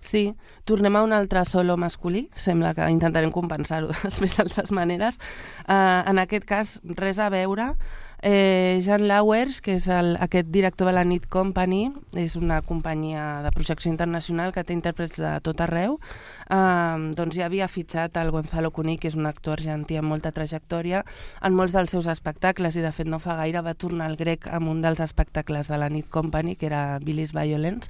Speaker 5: Sí, tornem a un altre solo masculí, sembla que intentarem compensar-ho de les més altres maneres. Uh, en aquest cas, res a veure. Eh, Jan Lauwers, que és el, aquest director de la Need Company, és una companyia de projecció internacional que té intèrprets de tot arreu, eh, doncs ja havia fitxat el Gonzalo Conill, que és un actor argentí amb molta trajectòria, en molts dels seus espectacles, i de fet no fa gaire va tornar al grec amb un dels espectacles de la Need Company, que era Billy's Violence.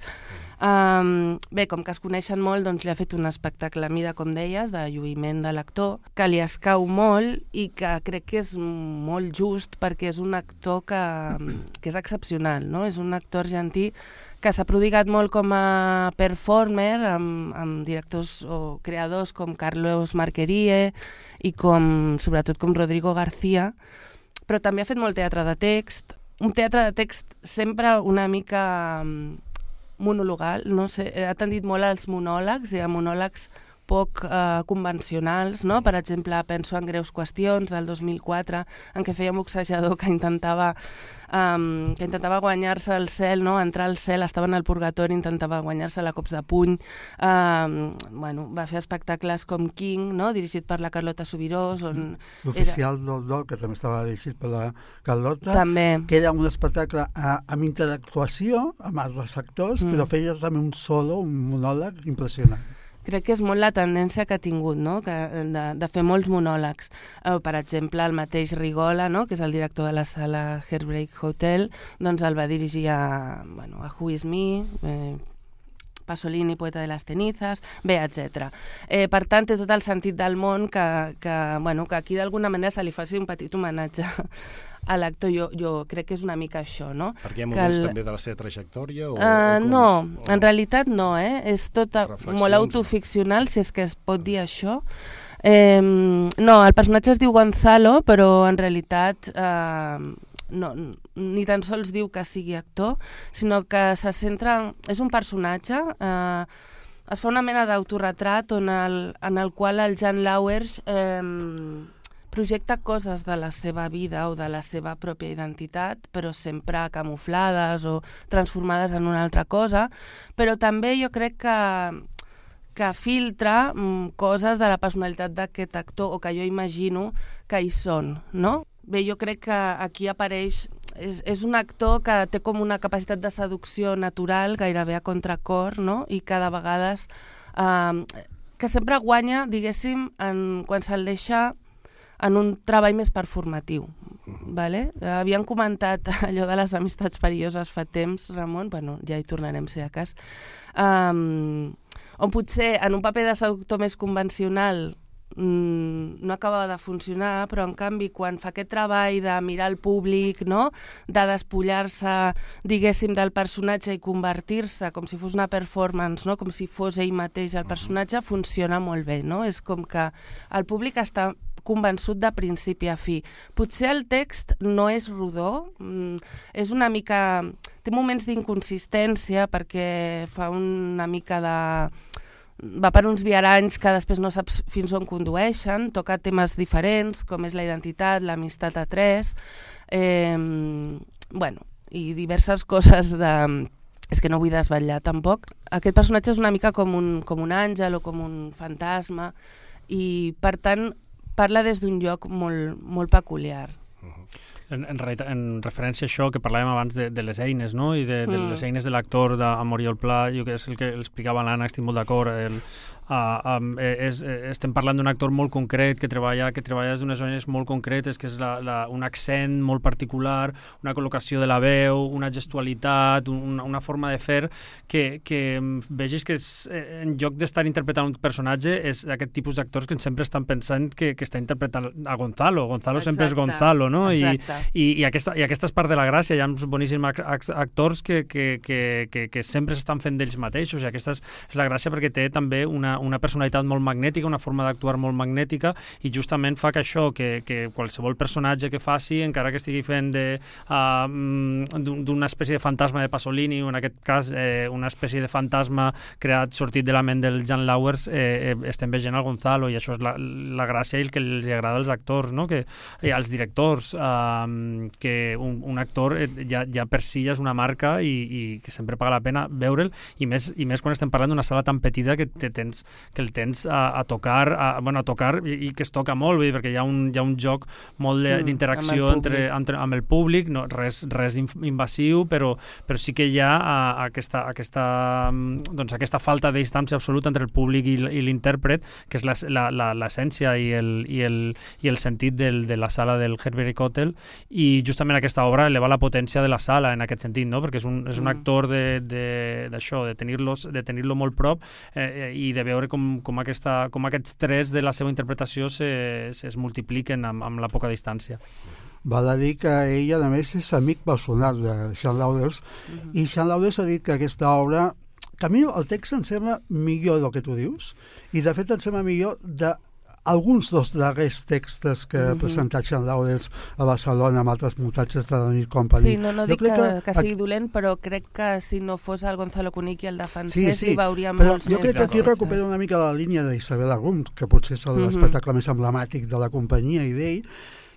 Speaker 5: Um, bé, com que es coneixen molt, doncs li ha fet un espectacle a mida, com deies, de lluïment de l'actor, que li escau molt i que crec que és molt just perquè és un actor que, que és excepcional, no? És un actor argentí que s'ha prodigat molt com a performer amb, amb directors o creadors com Carlos Marquerie i com, sobretot com Rodrigo García, però també ha fet molt teatre de text, un teatre de text sempre una mica monologal, no sé, ha tendit molt als monòlegs i a monòlegs poc eh, convencionals, no? Per exemple, penso en Greus qüestions del dos mil quatre, en què feia un boxejador que intentava um, que intentava guanyar-se el cel, no? Entrar al cel, estava en el purgatori, intentava guanyar-se la cops de puny. Um, bueno, va fer espectacles com King, no? Dirigit per la Carlota Subirós. On
Speaker 3: L'oficial era... del Dol, que també estava dirigit per la Carlota,
Speaker 5: també.
Speaker 3: Que era un espectacle a, amb interactuació amb altres actors, mm. però feia també un solo, un monòleg impressionant.
Speaker 5: Crec que és molt la tendència que ha tingut, no? Que de, de fer molts monòlegs. Eh, per exemple, el mateix Rigola, no? Que és el director de la sala Heartbreak Hotel, doncs el va dirigir a, bueno, a Who Is Me, eh, Pasolini, Poeta de las cenizas, bé, etcètera. Eh, per tant, té tot el sentit del món que, que, bueno, que aquí d'alguna manera se li faci un petit homenatge a l'actor. Jo, jo crec que és una mica això, no?
Speaker 2: Perquè hi ha moments el... també de la seva trajectòria? O,
Speaker 5: uh,
Speaker 2: o com...
Speaker 5: No,
Speaker 2: o...
Speaker 5: en realitat no, eh? És tot a... molt autoficcional, si és que es pot dir això. Eh, no, el personatge es diu Gonzalo, però en realitat eh, no, ni tan sols diu que sigui actor, sinó que se centra... És un personatge... Eh, es fa una mena d'autoretrat on el, en el qual el Jan Lauwers eh, projecta coses de la seva vida o de la seva pròpia identitat, però sempre camuflades o transformades en una altra cosa, però també jo crec que, que filtra mm, coses de la personalitat d'aquest actor, o que jo imagino que hi són, no? Bé, jo crec que aquí apareix... És, és un actor que té com una capacitat de seducció natural, gairebé a contracor, no? I que de vegades... Eh, que sempre guanya, diguéssim, en, quan se'l deixa en un treball més performatiu. Vale? Havíem comentat allò de les amistats perilloses fa temps, Ramon, bueno, ja hi tornarem, si de cas, um, on potser en un paper de seductor més convencional mm, no acabava de funcionar, però en canvi quan fa aquest treball de mirar el públic, no? De despullar-se, diguéssim, del personatge i convertir-se com si fos una performance, no? Com si fos ell mateix el personatge, funciona molt bé, no? És com que el públic està convençut de principi a fi. Potser el text no és rodó, mm, és una mica... té moments d'inconsistència perquè fa una mica de... va per uns viaranys que després no saps fins on condueixen, toca temes diferents, com és la identitat, l'amistat a tres, eh, bueno, i diverses coses de... és que no vull desvetllar tampoc. Aquest personatge és una mica com un, com un àngel o com un fantasma i, per tant, parla des d'un lloc molt, molt peculiar.
Speaker 4: En, en, en referència a això que parlàvem abans de, de les eines, no? I de, de
Speaker 5: mm.
Speaker 4: les eines de l'actor d'Amor i el Pla, jo que és el que explicava l'Anna, estic molt d'acord. El, uh, um, és, estem parlant d'un actor molt concret que treballa que treballa d'unes eines molt concretes, que és la, la, un accent molt particular, una col·locació de la veu, una gestualitat, una, una forma de fer que, que vegis que és, en lloc d'estar interpretant un personatge és aquest tipus d'actors que sempre estan pensant que, que està interpretant a Gonzalo. Gonzalo Exacte. Sempre és Gonzalo, no?
Speaker 5: Exacte.
Speaker 4: I, I, i, aquesta, i aquesta és part de la gràcia. Hi ha uns boníssims actors que, que, que, que, que sempre s'estan fent d'ells mateixos, i aquesta és, és la gràcia perquè té també una, una personalitat molt magnètica, una forma d'actuar molt magnètica, i justament fa que això, que, que qualsevol personatge que faci, encara que estigui fent de, uh, d'una espècie de fantasma de Pasolini, o en aquest cas eh, una espècie de fantasma creat, sortit de la ment del Jan Lauwers, eh, eh, estem veient el Gonzalo, i això és la, la gràcia i el que els agrada als actors, no? Que, eh, als directors, uh, que un, un actor ja, ja per si ja és una marca i, i que sempre paga la pena veure'l, i més, i més quan estem parlant d'una sala tan petita que, te tens, que el tens a, a tocar, a, bueno, a tocar i, i que es toca molt, perquè hi ha un, hi ha un joc molt d'interacció mm, entre, entre, amb el públic, no, res, res invasiu, però, però sí que hi ha a, a aquesta, aquesta, doncs, aquesta falta de distància absoluta entre el públic i, i l'intèrpret, que és l'essència i, el, i, el, i el sentit del, de la sala del Herbert Hotel, i justament aquesta obra eleva la potència de la sala en aquest sentit, no? Perquè és un, és un actor d'això, de, de, de tenir-lo de tenir-lo molt prop, eh, i de veure com, com, aquesta, com aquests tres de la seva interpretació se, se es multipliquen amb, amb la poca distància.
Speaker 3: Val a dir que ell, a més, és amic personal de Jean Lauwers, uh-huh. i Jean Lauwers ha dit que aquesta obra, que a mi el text em sembla millor del que tu dius, i de fet em sembla millor de alguns dels darrers textos que ha presentat Jean Lauwers a Barcelona amb altres muntatges de la Nit Company.
Speaker 5: Sí, no, no dic que, que, que sigui dolent, però crec que si no fos el Gonzalo Cuní qui el defensés, sí, sí, hi veuríem
Speaker 3: però
Speaker 5: molts
Speaker 3: jo
Speaker 5: més.
Speaker 3: Jo crec que aquí recupera una mica la línia d'Isabel Arum, que potser és l'espectacle més emblemàtic de la companyia i d'ell,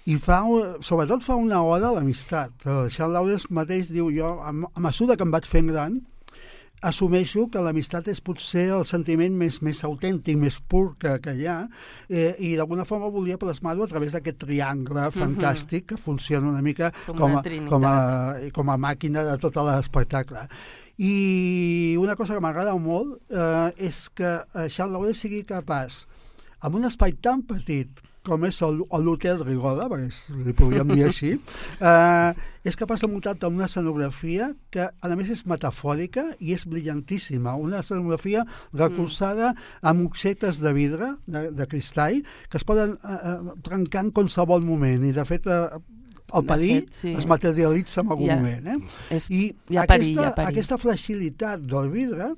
Speaker 3: i fa, sobretot fa una oda a l'amistat. Jean Lauwers mateix diu, jo, a mesura que em vaig fent gran, assumeixo que l'amistat és potser el sentiment més, més autèntic, més pur que, que hi ha, eh, i d'alguna forma volia plasmar-ho a través d'aquest triangle fantàstic que funciona una mica com, com, a, com, a, com a màquina de tot l'espectacle. I una cosa que m'agrada molt eh, és que Jean Lauwers sigui capaç, amb un espai tan petit com és l'Hotel Rigoda, perquè li podríem dir així, eh, és capaç de muntar una escenografia que, a més, és metafòrica i és brillantíssima. Una escenografia recolzada amb objectes de vidre, de, de cristall, que es poden eh, trencar en qualsevol moment. I, de fet, eh, el perill fet, sí. es materialitza en algun ja, moment. Eh?
Speaker 5: És,
Speaker 3: I
Speaker 5: ja
Speaker 3: aquesta,
Speaker 5: perill, ja perill. aquesta
Speaker 3: fragilitat del vidre,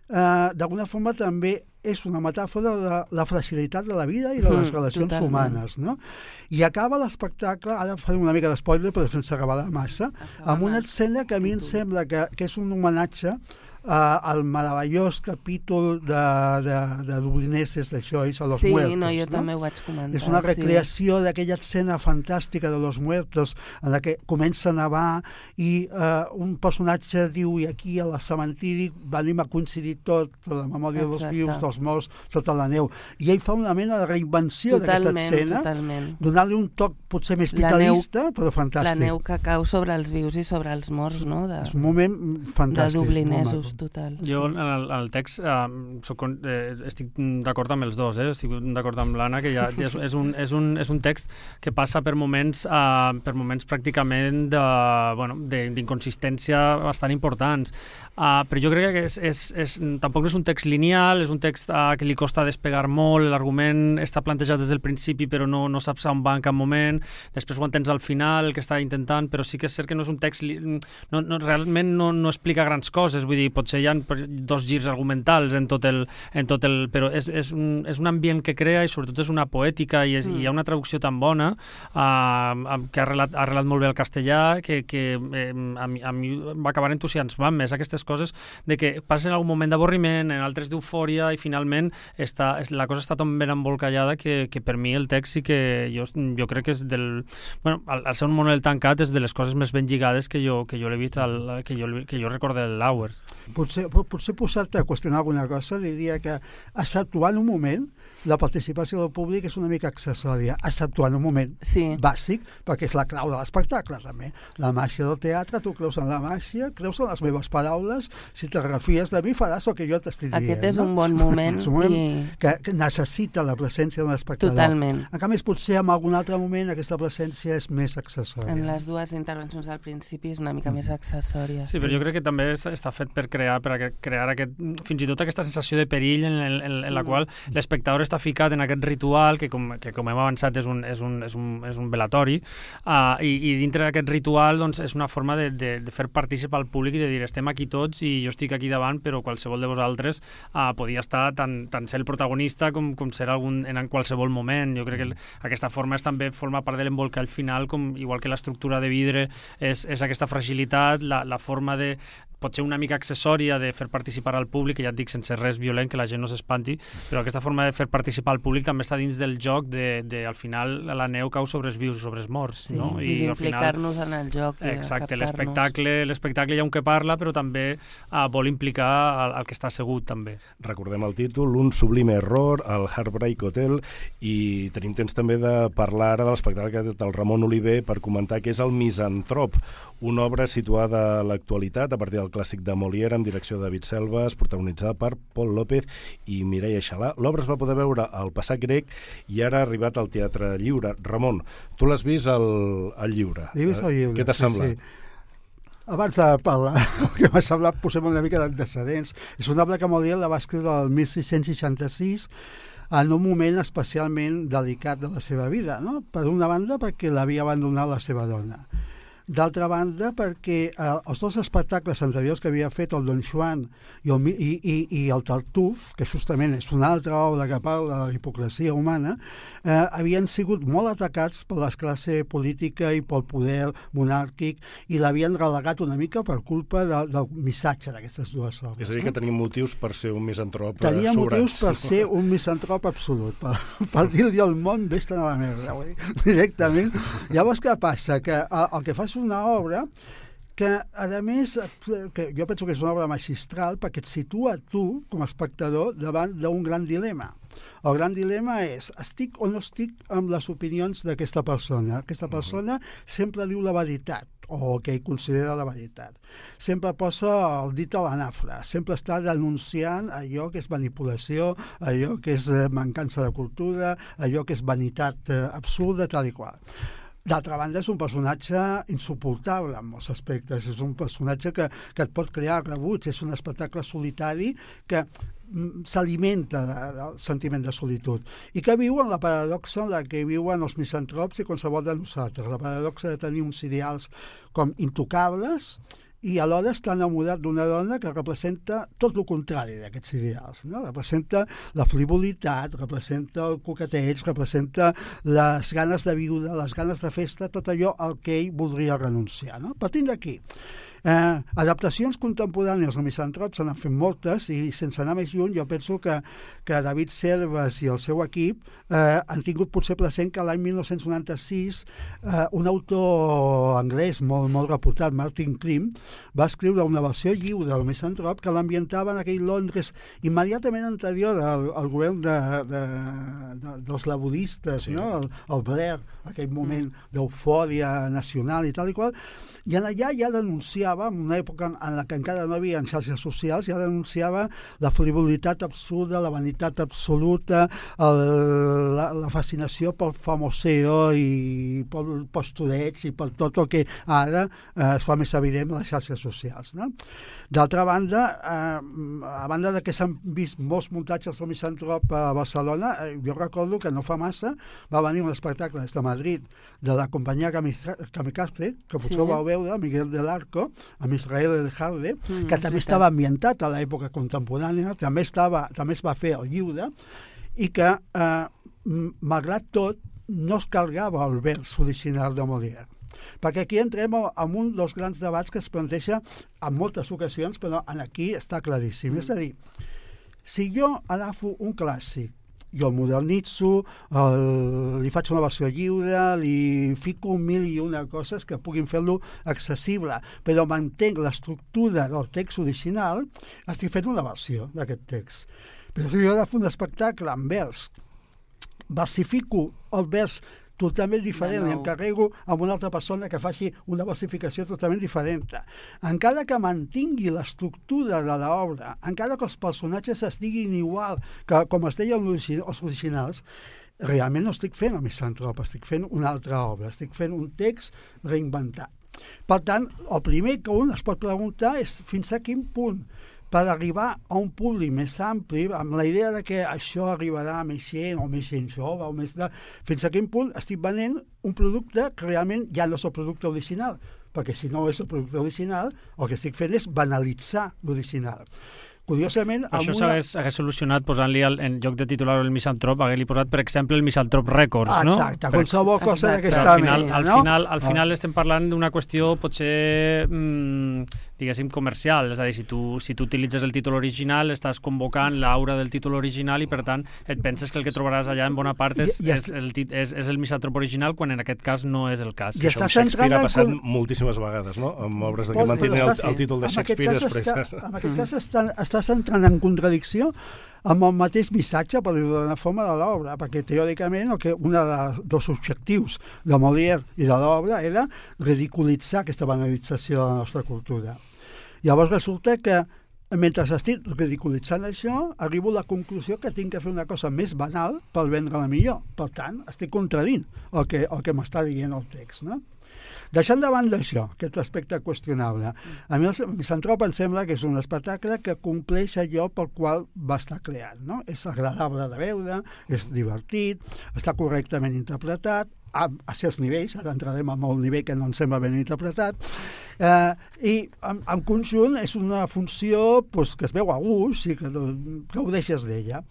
Speaker 3: eh, d'alguna forma també és una metàfora de la fragilitat de la vida i de les mm, relacions totalment. humanes, no? I acaba l'espectacle, ara farem una mica d'espoiler però sense revelar massa, acaba amb una escena que a mi em sembla que, que és un homenatge Uh, el meravellós capítol de, de, de Dublineses de Joyce a Los
Speaker 5: sí,
Speaker 3: Muertos.
Speaker 5: Sí, no, jo
Speaker 3: no?
Speaker 5: també ho vaig comentar.
Speaker 3: És una recreació sí. d'aquella escena fantàstica de Los Muertos en la que comença a nevar i uh, un personatge diu, i aquí a la cementiri venim a coincidir tot, la memòria Exacte. dels vius, dels morts, sota la neu. I ell fa una mena de reinvenció d'aquesta escena, donant-li un toc potser més vitalista, neu, però fantàstic.
Speaker 5: La neu que cau sobre els vius i sobre els morts, no? De,
Speaker 3: és un moment fantàstic.
Speaker 5: De Dublinesos. total.
Speaker 4: Jo,
Speaker 5: sí.
Speaker 4: en el, en el text, eh, soc, eh, estic d'acord amb els dos, eh? Estic d'acord amb l'Anna, que ja, ja és, és, un, és, un, és un text que passa per moments, eh, per moments pràcticament de, bueno, d'inconsistència bastant importants. Uh, però jo crec que és, és, és, tampoc no és un text lineal, és un text uh, que li costa despegar molt, l'argument està plantejat des del principi però no, no saps on va en cap moment, després ho entens al final, el que està intentant, però sí que és cert que no és un text, li, no, no, realment no, no explica grans coses, vull dir, potser hi ha dos girs argumentals en tot el, en tot el però és, és, un, és un ambient que crea i sobretot és una poètica i, és, mm. i hi ha una traducció tan bona uh, que ha arrelat, ha arrelat molt bé el castellà que, que eh, a, mi, a mi va acabar entusiasmant més aquestes coses de que passen algun moment d'avorriment, en altres d'eufòria i finalment està, la cosa està tan ben embolcallada que, que per mi el text sí que jo, jo crec que és del... Bueno, al, al ser un monol tancat és de les coses més ben lligades que jo, que jo l'he vist, al, que, jo, que jo recordo de l'Hours.
Speaker 3: Potser, potser posar-te a qüestionar alguna cosa, diria que exceptuant un moment, la participació del públic és una mica accessòria, exceptuant un moment
Speaker 5: sí.
Speaker 3: bàsic, perquè és la clau de l'espectacle, també. La màgia del teatre, tu creus en la màgia, creus en les meves paraules, si te refies de mi faràs el que jo t'estic dient.
Speaker 5: Aquest és
Speaker 3: no?
Speaker 5: un bon moment.
Speaker 3: És un moment
Speaker 5: i...
Speaker 3: que, que necessita la presència d'un espectador.
Speaker 5: Totalment.
Speaker 3: En canvi, potser en algun altre moment aquesta presència és més accessòria.
Speaker 5: En les dues intervencions al principi és una mica més accessòria.
Speaker 4: Sí, sí, però jo crec que també està fet per crear, per crear aquest, fins i tot aquesta sensació de perill en, en, en la mm. qual l'espectador està ficat en aquest ritual que, com, que com hem avançat, és un, és un, és un, és un velatori, uh, i, i dintre d'aquest ritual doncs, és una forma de, de, de fer participar al públic i de dir, estem aquí tots i jo estic aquí davant, però qualsevol de vosaltres uh, podia estar tant, tant ser el protagonista com, com ser algun, en qualsevol moment. Jo crec que el, aquesta forma és també forma part de l'embolcall final, com, igual que l'estructura de vidre és, és aquesta fragilitat, la, la forma de potser una mica accessòria de fer participar al públic, que ja et dic sense res violent, que la gent no s'espanti, però aquesta forma de fer participar al públic també està dins del joc de, de al final la neu cau sobre els vius, sobre els morts.
Speaker 5: Sí,
Speaker 4: no?
Speaker 5: i, i d'implicar-nos en el joc. I
Speaker 4: exacte, l'espectacle, l'espectacle hi ha un que parla, però també uh, vol implicar el, el que està assegut també.
Speaker 2: Recordem el títol, Un sublime error, el Heartbreak Hotel, i tenim temps també de parlar ara de l'espectacle del Ramon Oliver per comentar que és el Misantrop, una obra situada a l'actualitat a partir del clàssic de Molière amb direcció de David Selves, protagonitzada per Pol López i Mireia Xalà. L'obra es va poder veure al Passat Grec i ara ha arribat al Teatre Lliure. Ramon, tu l'has vist al, al Lliure.
Speaker 3: L'he vist al Lliure,
Speaker 2: Què t'ha
Speaker 3: sí,
Speaker 2: semblat?
Speaker 3: Sí. Abans de parlar, el que m'ha semblat, posem una mica d'antecedents. És una obra que Molière la va escriure el setze seixanta-sis en un moment especialment delicat de la seva vida, no? Per una banda, perquè l'havia abandonat la seva dona. D'altra banda, perquè eh, els dos espectacles anteriors que havia fet, el Don Juan i el, i, i, i el Tartuf, que justament és una altra obra que parla de la hipocresia humana, eh, havien sigut molt atacats per la classe política i pel poder monàrquic i l'havien relegat una mica per culpa de, del missatge d'aquestes dues obres.
Speaker 2: És a dir, que tenim motius per ser un misantrop sobrats.
Speaker 3: Tenia motius per ser un misantrop absolut, per, per dir-li al món vés-te'n a la merda, vull dir, directament. Llavors, què passa? Que el, el que fa és una obra que, a més, que jo penso que és una obra magistral perquè et situa tu, com a espectador, davant d'un gran dilema. El gran dilema és, estic o no estic amb les opinions d'aquesta persona? Aquesta persona sempre diu la veritat, o el que ell considera la veritat. Sempre posa el dit a la nafra, sempre està denunciant allò que és manipulació, allò que és mancança de cultura, allò que és vanitat absurda, tal i qual. D'altra banda, és un personatge insuportable en molts aspectes. És un personatge que, que et pot crear rebuig. És un espectacle solitari que s'alimenta del sentiment de solitud i que viu en la paradoxa en la que viuen els misantrops i qualsevol de nosaltres. La paradoxa de tenir uns ideals com intocables i alhora està enamorat d'una dona que representa tot el contrari d'aquests ideals, no? Representa la frivolitat, representa el coqueteig, representa les ganes de viure, les ganes de festa, tot allò al que ell voldria renunciar, no? Partint d'aquí, Eh, adaptacions contemporànies al misantrop se n'han fet moltes i sense anar més lluny jo penso que, que David Selves i el seu equip eh, han tingut potser present que l'any dinou noranta-sis eh, un autor anglès molt, molt reputat, Martin Krim, va escriure una versió lliure del misantrop que l'ambientava en aquell Londres immediatament anterior al, al govern de, de, de, dels laboristes, sí. No? el, el Blair, aquell moment d'eufòria nacional i tal i qual, i en allà ja denunciava denunciava, en una època en la que encara no hi havia xarxes socials, ja denunciava la frivolitat absurda, la vanitat absoluta, el, la, la fascinació pel famoseo i pel postureig i per tot el que ara eh, es fa més evident en les xarxes socials. No? D'altra banda, eh, a banda de que s'han vist molts muntatges del Misantrop a Barcelona, eh, jo recordo que no fa massa va venir un espectacle des de Madrid de la companyia Kamikaze, que potser sí. ho vau veure, Miguel del Arco, amb Israel El Harde, mm, que també sí, estava ambientat a l'època contemporània, també, estava, també es va fer el lliure, i que, eh, malgrat tot, no es carregava el vers original de Molière. Perquè aquí entrem en un dels grans debats que es planteja en moltes ocasions, però aquí està claríssim. Mm. És a dir, si jo agafo un clàssic, jo el modernitzo, el, li faig una versió lliure, li fico mil i una coses que puguin fer-lo accessible, però mantenc l'estructura del text original, estic fent una versió d'aquest text. Però si jo agafo un espectacle en vers, versifico el vers totalment diferent, no. i encarrego amb una altra persona que faci una versificació totalment diferent. Encara que mantingui l'estructura de l'obra, encara que els personatges estiguin igual que com es deien els originals, realment no estic fent el Misantrop, estic fent una altra obra, estic fent un text reinventat. Per tant, el primer que un es pot preguntar és fins a quin punt per arribar a un públic més ampli, amb la idea de que això arribarà a més gent, o més gent jove, o més de... fins a quin punt estic venent un producte que realment ja no és el producte original, perquè si no és el producte original, el que estic fent és banalitzar l'original. Curiosament...
Speaker 4: Això
Speaker 3: una...
Speaker 4: s'hagués hagués solucionat posant-li, en lloc de titular el Misantrop, hagués-li posat, per exemple, el Misantrop Records,
Speaker 3: ah,
Speaker 4: no?
Speaker 3: Exacte, qualsevol cosa d'aquesta
Speaker 4: al final,
Speaker 3: mena,
Speaker 4: al
Speaker 3: no?
Speaker 4: Final, al final ah. estem parlant d'una qüestió potser, mmm, diguéssim, comercial, és a dir, si tu, si tu utilitzes el títol original, estàs convocant l'aura del títol original i, per tant, et penses que el que trobaràs allà en bona part és, I, i és, el, és, és el Misantrop original, quan en aquest cas no és el cas.
Speaker 2: I això amb Shakespeare ha passat con... moltíssimes vegades, no? Amb obres de que mantenen el, el títol de Shakespeare després.
Speaker 3: Està, en aquest cas està, estàs entrant en contradicció amb el mateix missatge, per dir-ho d'una forma, de l'obra, perquè teòricament el que un dels objectius de Molière i de l'obra era ridiculitzar aquesta banalització de la nostra cultura. Llavors resulta que mentre estic ridiculitzant això, arribo a la conclusió que tinc que fer una cosa més banal per vendre-la millor. Per tant, estic contradint el que, el que m'està dient el text, no? Deixant de banda això, aquest aspecte qüestionable, a mi el Misantrop em sembla que és un espectacle que compleix allò pel qual va estar creat, no? És agradable de veure, és divertit, està correctament interpretat, a, a certs nivells, ara entrarem en el nivell que no ens sembla ben interpretat, eh, i en, en conjunt és una funció pues, que es veu a gust i que gaudeixes d'ella.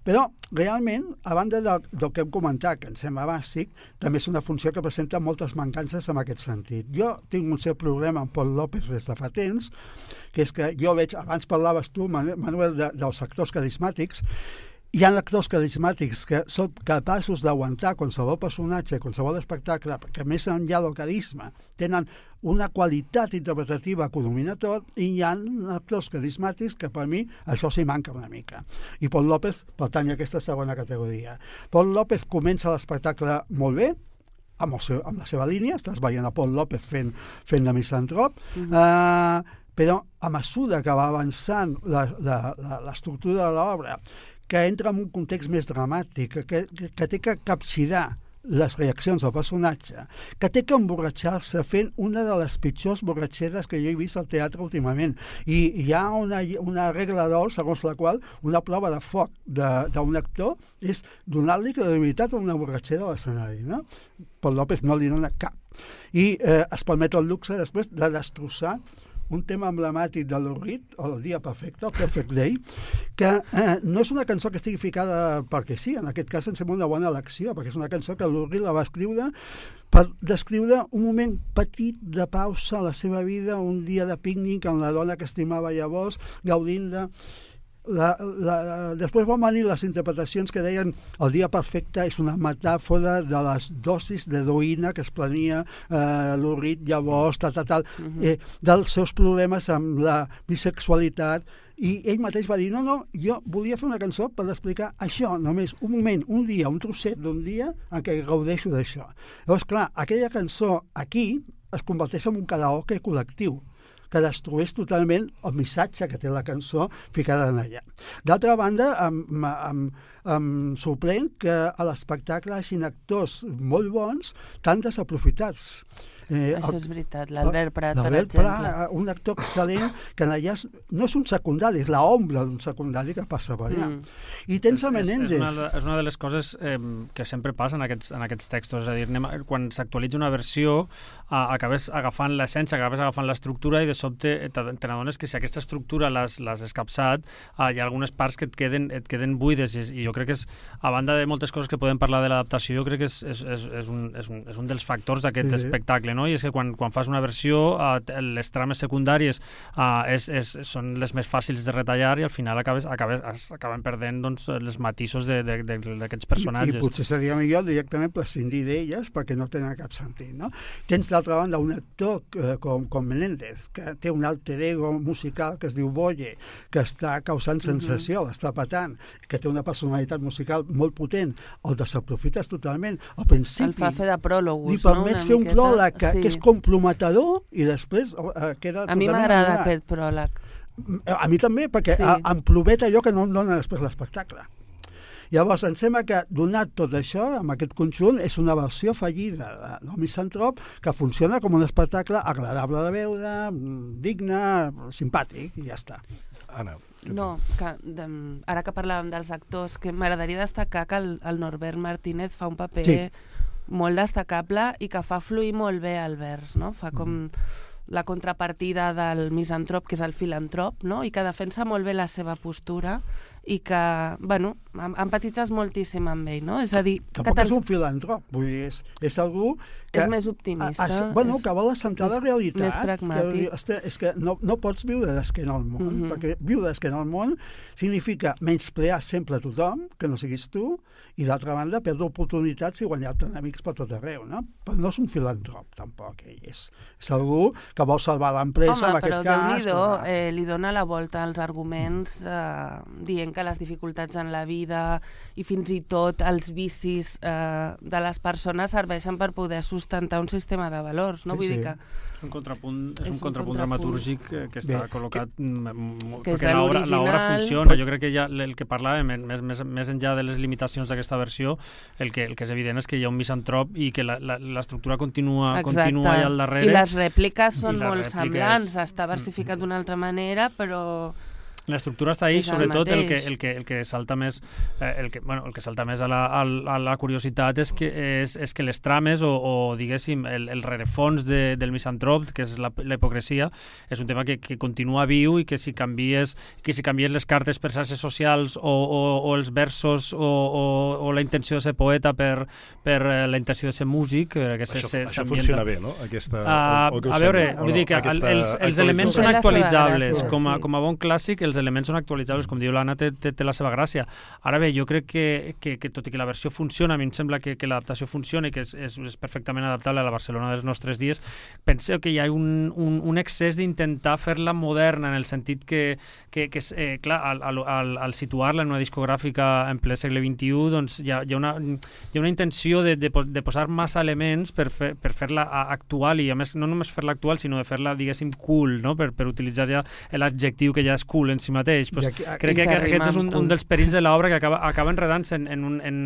Speaker 3: Però, realment, a banda del, del que hem comentat, que em sembla bàsic, també és una funció que presenta moltes mancances en aquest sentit. Jo tinc un cert problema amb Pol López des de fa temps, que és que jo veig, abans parlaves tu, Manuel, de, dels actors carismàtics. Hi ha actors carismàtics que són capaços d'aguantar qualsevol personatge, qualsevol espectacle, que més enllà del carisma tenen una qualitat interpretativa que ho domina tot, i hi ha actors carismàtics que per mi això s'hi manca una mica. I Pol López pertany a aquesta segona categoria. Pol López comença l'espectacle molt bé, amb, el seu, amb la seva línia, estàs veient a Pol López fent, fent de Misantrop, mm-hmm. uh, però a mesura que va avançant l'estructura de l'obra, que entra en un context més dramàtic, que, que, que té que capgirar les reaccions del personatge, que té que emborratxar-se fent una de les pitjors borratxeres que jo he vist al teatre últimament. I hi ha una, una regla d'or segons la qual una prova de foc d'un actor és donar-li credibilitat a una borratxera a l'escenari, no? Pol López no li dona cap. I eh, es permet el luxe després de destrossar un tema emblemàtic de Lou Reed, el Dia Perfecte, el Perfect Day, que eh, no és una cançó que estigui ficada perquè sí, en aquest cas em sembla una bona elecció, perquè és una cançó que Lou Reed la va escriure per descriure un moment petit de pausa a la seva vida, un dia de pícnic amb la dona que estimava llavors, gaudint de... La, la, després van venir les interpretacions que deien el dia perfecte és una metàfora de les dosis d'heroïna que es prenia eh, Lou Reed llavors, tal, tal, tal, uh-huh. eh, dels seus problemes amb la bisexualitat, i ell mateix va dir, no, no, jo volia fer una cançó per explicar això, només un moment, un dia, un trosset d'un dia en què gaudeixo d'això. Llavors, clar, aquella cançó aquí es converteix en un karaoke col·lectiu, que destrueix totalment el missatge que té la cançó ficada en allà. D'altra banda, em, em, em sorprèn que a l'espectacle hagin actors molt bons tan desaprofitats.
Speaker 5: Eh, Això
Speaker 3: el,
Speaker 5: és veritat, l'Albert Prat, per
Speaker 3: L'Albert
Speaker 5: exemple.
Speaker 3: Prat, un actor excel·lent, que allà no és un secundari, és l'ombra d'un secundari que passa per allà. Mm. I tens a Menéndez.
Speaker 4: És, és, una, de, és una de les coses eh, que sempre passa en aquests, en aquests textos, és a dir, anem, quan s'actualitza una versió, eh, acabes agafant l'essència, acabes agafant l'estructura i de sobte te, te n'adones que si aquesta estructura l'has escapçat, eh, hi ha algunes parts que et queden, et queden buides i, i jo crec que és, a banda de moltes coses que podem parlar de l'adaptació, jo crec que és, és, és, és, un, és, un, és un dels factors d'aquest sí. espectacle, no? I és que quan, quan fas una versió, uh, les trames secundàries uh, és, és, són les més fàcils de retallar i al final acabes, acabes, acaben perdent doncs, les matisos d'aquests personatges.
Speaker 3: I, I potser seria millor directament prescindir d'elles perquè no tenen cap sentit, no? Tens d'altra banda un actor eh, com, com Menéndez, que té un alter ego musical que es diu Boye, que està causant sensació, uh-huh. l'està patant, que té una personalitat musical molt potent, el desaprofites totalment. Al principi...
Speaker 5: El fa fer de pròlogus,
Speaker 3: li permets
Speaker 5: no?
Speaker 3: fer un pròleg que,
Speaker 5: sí.
Speaker 3: que és comprometedor i després eh, queda
Speaker 5: a mi m'agrada aquest pròleg.
Speaker 3: A mi també, perquè sí. em ploveta allò que no em dona després l'espectacle. Llavors, em sembla que, donat tot això, amb aquest conjunt, és una versió fallida del Misantrop que funciona com un espectacle agradable de veure, digne, simpàtic, i ja està.
Speaker 2: Anna.
Speaker 5: No, que, de, ara que parlàvem dels actors, que m'agradaria destacar que el, el Norbert Martínez fa un paper sí. molt destacable i que fa fluir molt bé el vers, no? Fa com la contrapartida del misantrop, que és el filantrop, no? I que defensa molt bé la seva postura i que, bueno, empatitzes moltíssim amb ell, no? És a dir...
Speaker 3: Tampoc és un filantrop, vull dir, és, és algú que...
Speaker 5: És més optimista.
Speaker 3: A, a, bueno, que vol assentar la realitat.
Speaker 5: Més pragmàtic.
Speaker 3: Que, és que no, no pots viure d'esquena al món, mm-hmm. perquè viure d'esquena al món significa menysprear sempre a tothom, que no siguis tu, i d'altra banda perdre oportunitats i guanyar-te enemics per tot arreu, no? Però no és un filantrop, tampoc, ell és. És algú que vol salvar l'empresa, en aquest cas...
Speaker 5: Home, però Déu-n'hi-do, eh, li dona la volta als arguments eh, dient que les dificultats en la vida i fins i tot els vicis eh, de les persones serveixen per poder sustentar un sistema de valors, no?
Speaker 3: Sí,
Speaker 5: Vull
Speaker 3: sí.
Speaker 5: dir que...
Speaker 4: Un contrapunt, és, és un, un contrapunt, contrapunt dramatúrgic que, que està Bé, col·locat que,
Speaker 5: que
Speaker 4: perquè l'obra funciona. Jo crec que ja el que parlàvem, més, més, més enllà de les limitacions d'aquesta versió, el que, el que és evident és que hi ha un misantrop i que l'estructura continua, continua allà al darrere.
Speaker 5: I les rèpliques són
Speaker 4: les
Speaker 5: molt
Speaker 4: rèpliques...
Speaker 5: semblants, està versificat d'una altra manera, però...
Speaker 4: L'estructura està ahí, sobretot el que, el, que, el que salta més eh, el, que, bueno, el que salta més a la, a, a la curiositat és que, és, és que les trames o, o diguéssim, el, el rerefons de, del misantrop, que és la, la hipocresia, és un tema que, que continua viu i que si canvies, que si canvies les cartes per xarxes socials o, o, o els versos o, o, o la intenció de ser poeta per, per la intenció de ser músic... Que
Speaker 2: això
Speaker 4: se,
Speaker 2: això funciona bé, no? Aquesta,
Speaker 4: uh, o, o a veure, vull dir que aquesta, els, els elements són actualitzables, com a, com a bon clàssic, els elements són actualitzables, com diu l'Anna, té, té, té la seva gràcia. Ara bé, jo crec que, que, que tot i que la versió funciona, a mi em sembla que, que l'adaptació funciona i que és, és, és perfectament adaptable a la Barcelona dels nostres dies, penseu que hi ha un, un, un excés d'intentar fer-la moderna, en el sentit que, que, que eh, clar, al, al, al, al situar-la en una discogràfica en ple segle vint-i-u, doncs hi ha, hi ha, una, hi ha una intenció de, de, de posar massa elements per, fer, per fer-la actual, i a més no només fer-la actual, sinó de fer-la, diguéssim, cool, no? per, per utilitzar ja l'adjectiu que ja és cool en si mateix. Pues, aquí, aquí, crec que, que aquest és un, un dels perills de l'obra, que acaba, acaba enredant-se en, en, un, en,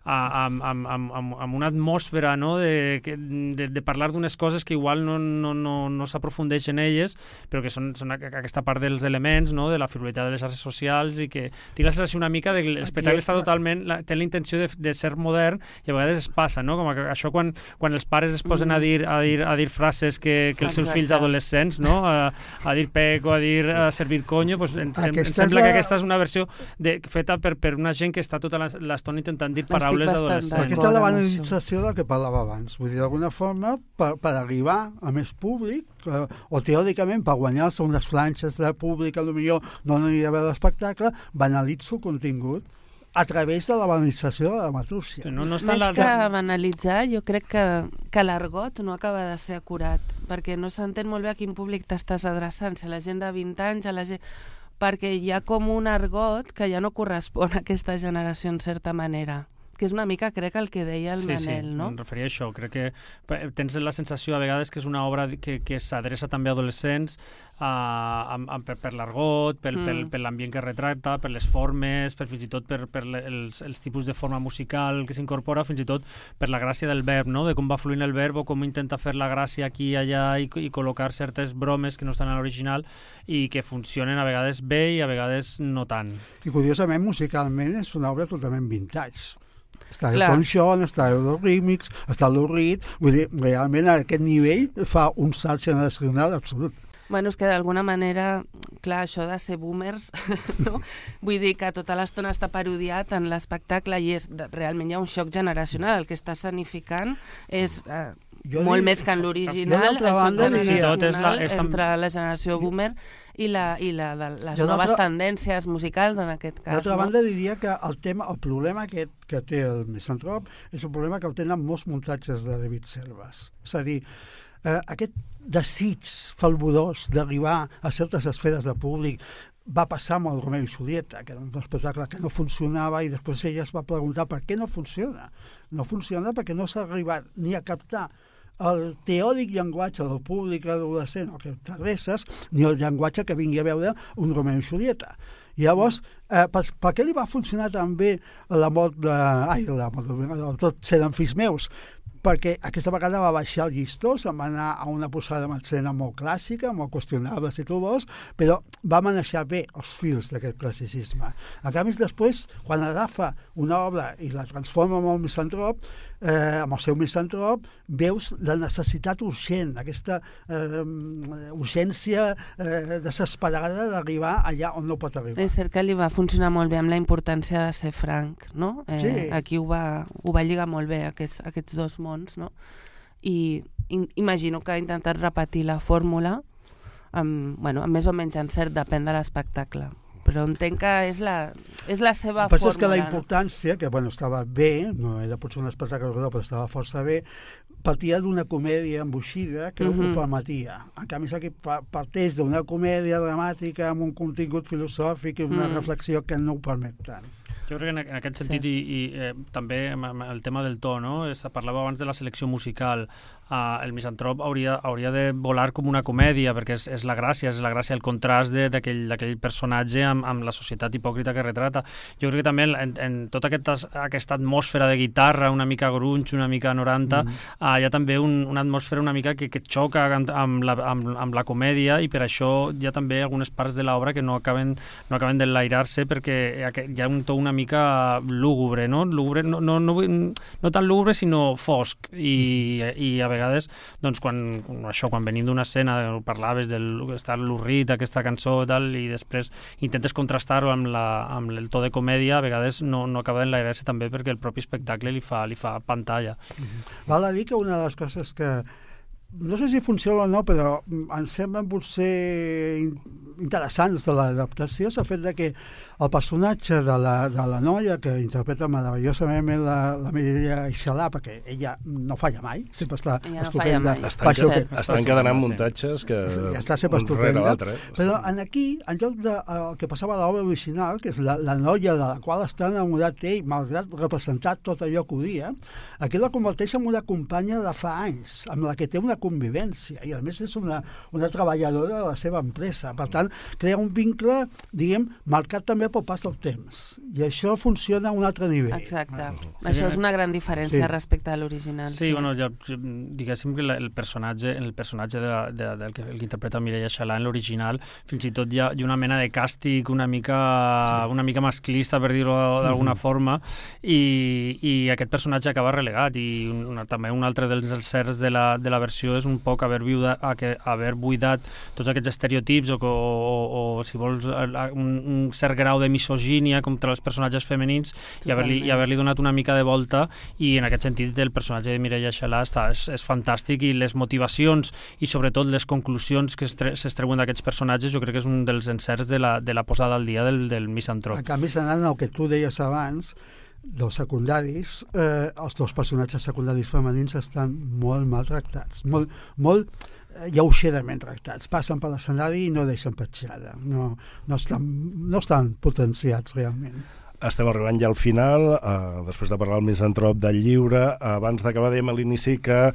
Speaker 4: a, amb, amb, amb, amb una atmosfera, no? de, de, de parlar d'unes coses que igual no, no, no, no s'aprofundeix en elles, però que són, són aquesta part dels elements, no? de la frivolitat de les xarxes socials, i que tinc la sensació una mica de que l'espectacle està totalment, la, té la intenció de, de ser modern, i a vegades es passa, no? Com que això quan, quan els pares es posen a dir, a dir, a dir frases que, que els seus fills adolescents, no? a, a dir pec o a dir a servir coño, pues, en, em sembla la... que aquesta és una versió de, feta per, per una gent que està tota l'estona intentant dir paraules adolescents.
Speaker 3: Aquesta és la banalització del que parlava abans. Vull dir, d'alguna forma, per, per arribar a més públic, eh, o teòricament per guanyar-se unes flanxes de públic, potser no aniria a veure l'espectacle, banalitzo el contingut a través de la banalització de la dramaturgia.
Speaker 5: No, no Més la... que banalitzar, jo crec que, que l'argot no acaba de ser acurat, perquè no s'entén molt bé a quin públic t'estàs adreçant, si a la gent de vint anys, a la gent... perquè hi ha com un argot que ja no correspon a aquesta generació en certa manera. que és una mica, crec, el que deia el
Speaker 4: sí,
Speaker 5: Manel,
Speaker 4: sí,
Speaker 5: no?
Speaker 4: em referia a això. Crec que tens la sensació a vegades que és una obra que, que s'adreça també a adolescents, uh, amb, amb, per, per l'argot, per, mm. per, per l'ambient que retracta, per les formes, per fins i tot per, per els, els tipus de forma musical que s'incorpora, fins i tot per la gràcia del verb, no? De com va fluint el verb o com intenta fer la gràcia aquí i allà i, i col·locar certes bromes que no estan a l'original i que funcionen a vegades bé i a vegades no tant.
Speaker 3: I curiosament, musicalment, és una obra totalment vintage. Està el
Speaker 5: Clar.
Speaker 3: Elton John, està el Remix, està el Reed, vull dir, realment a aquest nivell fa un salt generacional absolut.
Speaker 5: Bueno, és que d'alguna manera, clar, això de ser boomers, no? Vull dir que tota l'estona està parodiat en l'espectacle i és, realment hi ha un xoc generacional. El que està escenificant és eh, molt dic, més que en l'original, el xoc generacional és la, és tam... entre la generació boomer i, la, i la de les jo noves tendències musicals, en aquest cas.
Speaker 3: D'altra
Speaker 5: no?
Speaker 3: banda, diria que el tema, el problema aquest que té el Misantrop és un problema que el tenen molts muntatges de David Selves. És a dir, eh, aquest desig falborós d'arribar a certes esferes de públic va passar amb el Romeo i Julieta, que era un espectacle que no funcionava i després ella es va preguntar per què no funciona. No funciona perquè no s'ha arribat ni a captar el teòric llenguatge del públic adolescent o que t'adreces, ni el llenguatge que vingui a veure un Romeo i Julieta. I llavors, eh, per, per què li va funcionar tan bé la mort de... Ai, la mort de... Tots eren fills meus? Perquè aquesta vegada va baixar el llistó, se'n va anar a una posada en escena molt clàssica, molt qüestionable, si tu vols, però va manejar bé els fils d'aquest classicisme. A canvi, després, quan agafa una obra i la transforma en el misantrop, eh, amb el seu misantrop, veus la necessitat urgent, aquesta eh, urgència eh, desesperada d'arribar allà on no pot arribar.
Speaker 5: És cert que li va funcionar molt bé amb la importància de ser franc, no? Eh,
Speaker 3: sí.
Speaker 5: Aquí ho va, ho va lligar molt bé, aquests, aquests dos mons, no? I in, imagino que ha intentat repetir la fórmula amb, bueno, amb més o menys encert, depèn de l'espectacle. Però entenc que és la, és la seva fórmula.
Speaker 3: És que la importància, que bueno, estava bé, no era potser un espectacle rodó, però estava força bé, partia d'una comèdia emboixida que uh-huh. ho permetia. En canvi, aquí parteix d'una comèdia dramàtica amb un contingut filosòfic i una uh-huh. reflexió que no ho permet tant.
Speaker 4: Jo crec que en aquest sentit sí. i, i eh, també el tema del to, no? Es parlava abans de la selecció musical. Uh, el misantrop hauria, hauria de volar com una comèdia, perquè és, és la gràcia, és la gràcia, el contrast d'aquell personatge amb, amb la societat hipòcrita que retrata. Jo crec que també en, en tota aquesta, aquesta atmosfera de guitarra, una mica grunge, una mica noranta, mm. uh, hi ha també un, una atmosfera una mica que, que xoca amb, amb, la, amb, amb la comèdia, i per això hi ha també algunes parts de l'obra que no acaben, no acaben d'enlairar-se, perquè hi ha un to una mica lúgubre, no? Lúgubre, no, no, no, no tan lúgubre, sinó fosc, i, i a vegades, doncs, quan, això, quan venim d'una escena, parlaves del estar l'urrit, aquesta cançó i tal, i després intentes contrastar-ho amb, la, amb el to de comèdia, a vegades no, no acaba d'enlairar-se també perquè el propi espectacle li fa, li fa pantalla.
Speaker 3: Mm-hmm. Val a dir que una de les coses que no sé si funciona o no, però em semblen potser interessants de l'adaptació és el fet de que el personatge de la, de la noia que interpreta meravellosament la, la Mireia Aixalà, perquè ella no falla mai, sempre està
Speaker 5: ella
Speaker 3: estupenda.
Speaker 5: No
Speaker 2: estan
Speaker 3: que,
Speaker 2: que, estan encadenant muntatges que
Speaker 3: ja està sempre estupenda. Però en aquí, en lloc de el que passava a l'obra original, que és la, la noia de la qual està enamorat ell, malgrat representar tot allò que odia, aquí la converteix en una companya de fa anys, amb la que té una convivència, i a més és una, una treballadora de la seva empresa. Per tant, crea un vincle, diguem, marcat també pel pas del temps. I això funciona a un altre nivell.
Speaker 5: Exacte. Ah. Això és una gran diferència sí. respecte a l'original.
Speaker 4: Sí, sí, bueno, ja, diguéssim que el personatge, el personatge de, de, del que, el que interpreta Mireia Aixalà en l'original, fins i tot hi ha, hi ha una mena de càstig una mica, sí. una mica masclista, per dir-ho d'alguna mm-hmm. forma, i, i aquest personatge acaba relegat, i una, també un altre dels encerts de la, de la versió és un poc haver, viuda, haver buidat tots aquests estereotips o, o, o, o si vols, un, un cert grau de misogínia contra els personatges femenins i haver-li i haver-li donat una mica de volta, i en aquest sentit el personatge de Mireia Aixalà està, és, és fantàstic, i les motivacions i sobretot les conclusions que s'extreuen d'aquests personatges jo crec que és un dels encerts de la, de la posada al dia del, del misantrop.
Speaker 3: A canvi, anant al que tu deies abans, dels secundaris, eh, els dos personatges secundaris femenins estan molt maltractats, molt, molt lleugerament tractats. Passen per l'escenari i no deixen petjada. No, no, estan, no estan potenciats realment.
Speaker 2: Estem arribant ja al final, eh, després de parlar el misantrop del llibre. Abans d'acabar, dèiem a l'inici que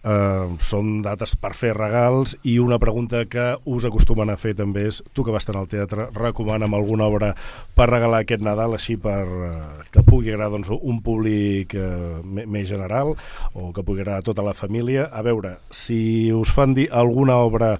Speaker 2: Uh, són dates per fer regals, i una pregunta que us acostumen a fer també és: tu que vas estar al teatre, recomana'm alguna obra per regalar aquest Nadal, així per uh, que pugui agradar, doncs, un públic uh, més general, o que pugui agradar a tota la família. A veure, si us fan dir alguna obra